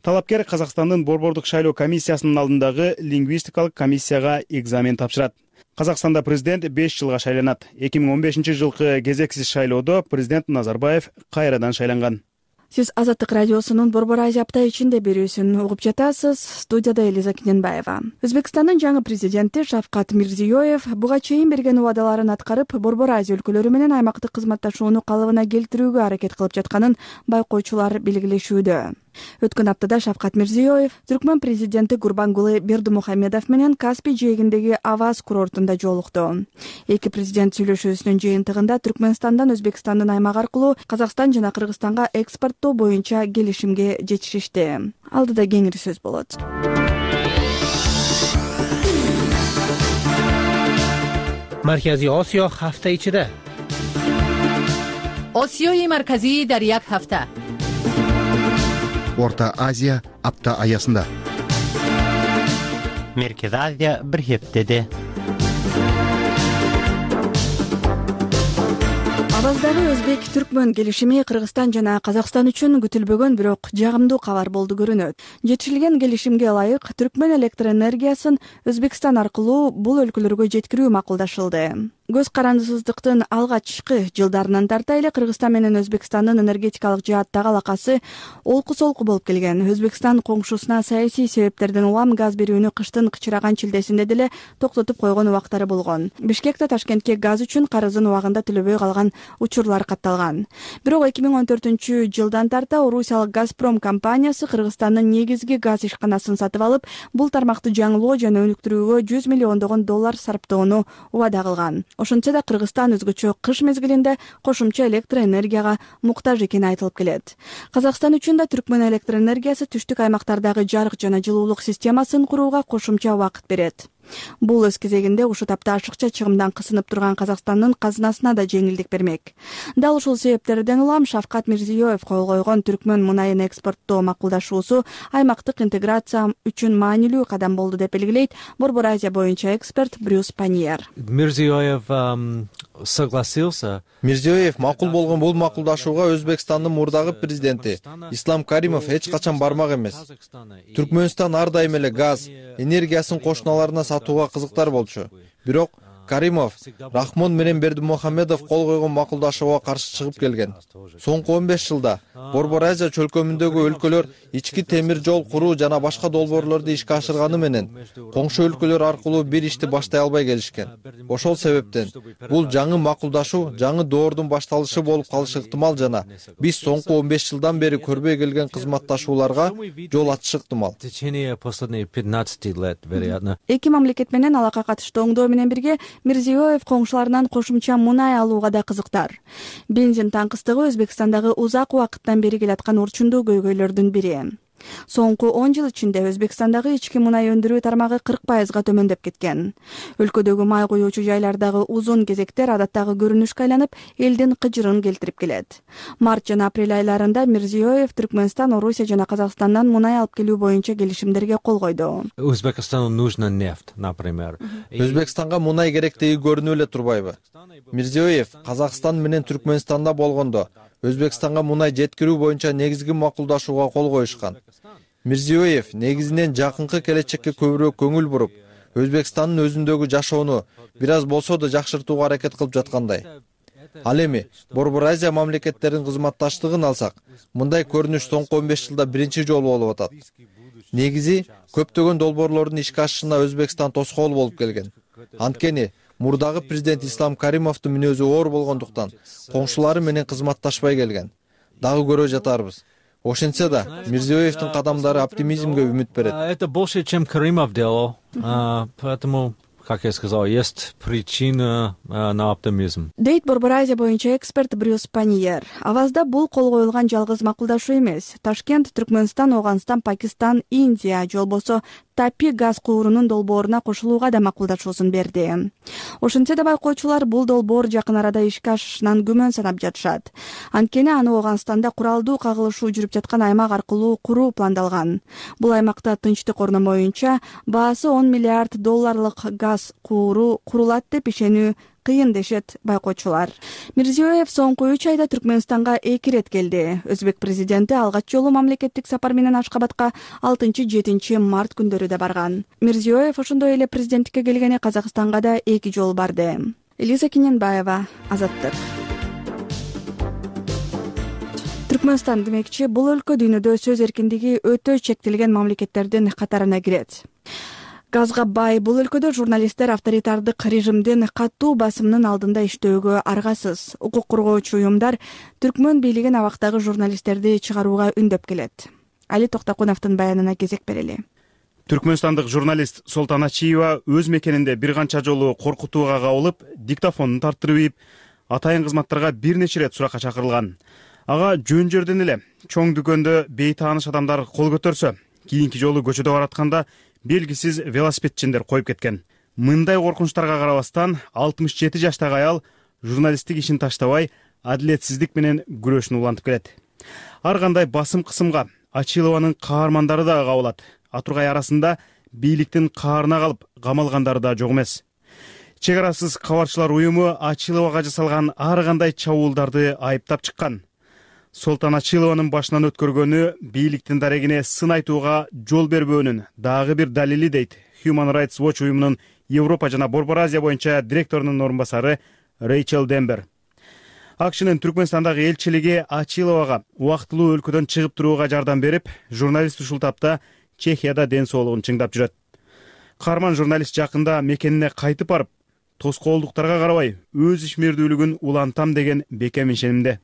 Талапкер Казакстандын Борбордук шайлоо комиссиясынын алдындагы лингвистикалык комиссияга экзамен тапшырат. Казакстанда президент беш жылга шайланат. эки миң он бешинчи жылкы кезексиз шайлоодо президент Назарбаев кайрадан шайланган. Сиз Азаттык радиосунун Борбор Азия апта ичинде берүүсүн угуп жатасыз. Студияда Элиза Киненбаева. Өзбекстандын жаңы президенти Шавкат Мирзиёев буга чейин берген убадаларын аткарып, Борбор Азия өлкөлөрү менен аймактык кызматташууну калыбына келтирүүгө аракет кылып жатканын байкоочулар белгилешүүдө. Өткөн аптада Шавкат Мирзиёев Түркмөн президенти Гурбангулы Бердимухамедов менен Каспий жээгиндеги Аваз курортунда жолукту. Эки президент сүйлөшүүсүнүн жыйынтыгында Түркмөнстандан Өзбекстандын аймак аркылуу Казакстан жана Кыргызстанга экспорттоо боюнча келишимге жетишишти. Алдыда кеңири сөз болот. Маркази Осиё ҳафта ичиде. осиёи марказии дар як ҳафта. Орто Азия апта аясында. Меркез Азия бир хептеде. Аваздагы Өзбек-Түркмөн келишими Кыргызстан жана Казакстан үчүн күтүлбөгөн, бирок жагымдуу кабар болду көрүнөт. Жетишилген келишимге ылайык Түркмөн электр энергиясын Өзбекстан аркылуу бул өлкөлөргө жеткирүү макулдашылды. Көз карандысыздыктын алгачкы жылдарынан тарта эле Кыргызстан менен Өзбекстандын энергетикалык жааттагы алакасы олку-солку болуп келген. Өзбекстан коңшусуна саясий себептерден улам газ берүүнү кыштын кычыраган чилдесинде деле токтотуп койгон убактары болгон. Бишкекте Ташкентке газ үчүн карызын убагында төлөбөй калган учурлар катталган. Бирок эки миң он төртүнчү жылдан тарта Орусиялык Газпром компаниясы Кыргызстандын негизги газ ишканасын сатып алып, бул тармакты жаңылоо жана өнүктүрүүгө жүз миллиондогон доллар сарптоону убада кылган. Ошентсе да Кыргызстан өзгөчө кыш мезгилинде кошумча электр энергияга муктаж экени айтылып келет. Казакстан үчүн да Түркмөн электр энергиясы түштүк аймактардагы жарык жана жылуулук системасын курууга кошумча убакыт берет. Бул өз кезегинде ушул тапта ашыкча чыгымдан кысынып турган Казакстандын казынасына да жеңилдик бермек. Дал ушул себептерден улам Шавкат Мирзиёев кол койгон Түркмөн мунайын экспорттоо макулдашуусу аймактык интеграция үчүн маанилүү кадам болду деп белгилейт Борбор Азия боюнча эксперт Брюс Паньер. Мирзиёев согласился. Мирзиёев макул болгон бул макулдашууга Өзбекстандын мурдагы президенти Ислам Каримов эч качан бармак эмес. Түркмөнстан ар дайым эле газ, энергиясын кошуналарына сатууга кызыктар болчу. Бирок Каримов Рахмон менен Бердимухамедов кол койгон макулдашууга каршы чыгып келген. Соңку он беш жылда Борбор Азия чөлкөмүндөгү өлкөлөр ички темир жол куруу жана башка долбоорлорду ишке ашырганы менен коңшу өлкөлөр аркылуу бир ишти баштай албай келишкен. Ошол себептен бул жаңы макулдашуу жаңы доордун башталышы болуп калышы ыктымал жана биз соңку он беш жылдан бери көрбөй келген кызматташууларга жол ачышы ыктымал. Эки мамлекет менен алакка катыштуу оңдоо менен бирге Мирзиёев коңшуларынан кошумча мунай алууга да кызыктар. Бензин таңкыстыгы Өзбекстандагы узак убакыттан бери келаткан урчундуу көйгөйлөрдүн бири. Соңку он жыл ичинде Өзбекстандагы ички мунай өндүрүү тармагы кырк пайызга төмөндөп кеткен. Өлкөдөгү май куюучу жайлардагы узун кезектер адаттагы көрүнүшкө айланып, элдин кыжырын келтирип келет. Март жана апрель айларында Мирзиёев Түркмөнстан, Орусия жана Казакстандан мунай алып келүү боюнча келишимдерге кол койду. Өзбекстану нужна нефть, например. Өзбекстанга мунай керектиги көрүнүп эле турбайбы? Мирзиёев Казакстан менен Түркмөнстанда болгондо Өзбекстанга мунай жеткирүү боюнча негизги макулдашууга кол коюшкан. Мирзиёев негизинен жакынкы келечекке көбүрөөк көңүл буруп, Өзбекстандын өзүндөгү жашоону бир аз болсо да жакшыртууга аракет кылып жаткандай. Ал эми Борбор Азия мамлекеттеринин кызматташтыгын алсак, мындай көрүнүш соңку он беш жылда биринчи жолу болуп атат. Негизи көптөгөн долбоорлордун ишке ашышына Өзбекстан тоскоол болуп келген. Анткени мурдагы президент Ислам Каримовдун мүнөзү оор болгондуктан коңшулары менен кызматташпай келген. Дагы көрө жатарбыз. Ошентсе да Мирзиёевдин кадамдары оптимизмге үмүт берет. Это больше, чем Каримов делал, поэтому, как я сказал, есть причина на оптимизм. Дейт Борбор Азия боюнча эксперт Брюс Паньер. Авазда бул кол коюлган жалгыз макулдашуу эмес. Ташкент, Түркмөнстан, Оганстан, Пакистан, Индия жолбосо Тапи газ куурунун долбооруна кошулууга да макулдашуусун берди. Ошентсе да байкоочулар бул долбоор жакын арада ишке ашышынан күмөн санап жатышат. Анткени аны Оганстанда куралдуу кагылышуу жүрүп жаткан аймак аркылуу куруу пландалган. Бул аймакта тынчтык орномоюнча баасы он миллиард долларлык газ кууру курулат деп ишенүү кыйын дешет байкоочулар. Мирзиёев соңку үч айда Түркмөнстанга эки ирет келди. Өзбек президенти алгач жолу мамлекеттик сапар менен Ашкабадка алтынчы жетинчи март күндөрү да барган. Мирзиёев ошондой эле президенттикке келгени Казакстанга да эки жолу барды. Элиза Кененбаева, Азаттык. Түркмөнстан демекчи бул өлкө дүйнөдө сөз эркиндиги өтө чектелген мамлекеттердин катарына кирет. Газга бай бул өлкөдө журналисттер авторитардык режимдин катуу басымынын алдында иштөөгө аргасыз. Укук коргоочу уюмдар Түркмөн бийлигин абактагы журналисттерди чыгарууга үндөп келет. Али Токтокуновдун баянына кезек берели. Түркмөнстандык журналист Солтан Ачиева өз мекенинде бир канча жолу коркутууга кабылып, диктофонун тарттырып ийип, атайын кызматтарга бир нече ирет суракка чакырылган. Ага жөн жерден эле чоң дүкөндө бейтааныш адамдар кол көтөрсө, кийинки жолу көчөдө баратканда белгисиз велосипедчиндер коюп кеткен. Мындай коркунучтарга карабастан алтымыш жети жаштагы аял журналисттик ишин таштабай, адилетсиздик менен күрөшүн улантып келет. Ар кандай басым кысымга Ачилованын каармандары да кабылат. Атургай арасында бийликтин каарына калып камалгандары да жок эмес. Чек арасыз кабарчылар уюму Ачиловага жасалган ар кандай чабуулдарды айыптап чыккан. Солтан Ачилованын башынан өткөргөнү бийликтин дарегине сын айтууга жол бербөөнүн дагы бир далили дейт Human Rights Watch уюмунун Европа жана Борбор Азия боюнча директорунун орун басары Рейчел Дембер. АКШнын Түркмөнстандагы элчилиги Ачиловага убактылуу өлкөдөн чыгып турууга жардам берип, журналист ушул тапта Чехияда ден соолугун чыңдап жүрөт. Каарман журналист жакында мекенине кайтып барып, тоскоолдуктарга карабай өз ишмердүүлүгүн улантам деген бекем ишенимде.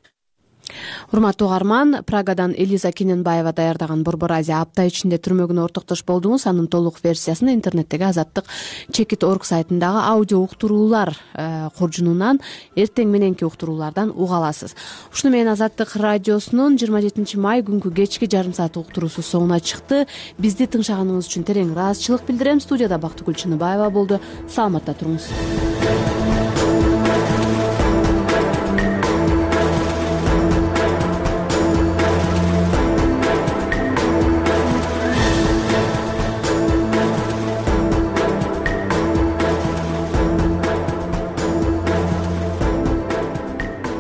урматтуу угарман, Прагадан Элиза Кененбаева даярдаган Борбор Азия апта ичинде түрмөгүнө ортоктош болдуңуз. Анын толук версиясын интернеттеги Азаттык чекит орг сайтындагы аудио уктуруулар коржунунан эртең мененки уктуруулардан уга аласыз. Ушуну менен Азаттык радиосунун жыйырма жетинчи май күнкү кечки жарым саат уктуруусу соңуна чыкты. Бизди тыңшаганыңыз үчүн терең ыраазычылык билдирем. Студияда Бактыгүл Чыныбаева болду. Саламатта туруңуз.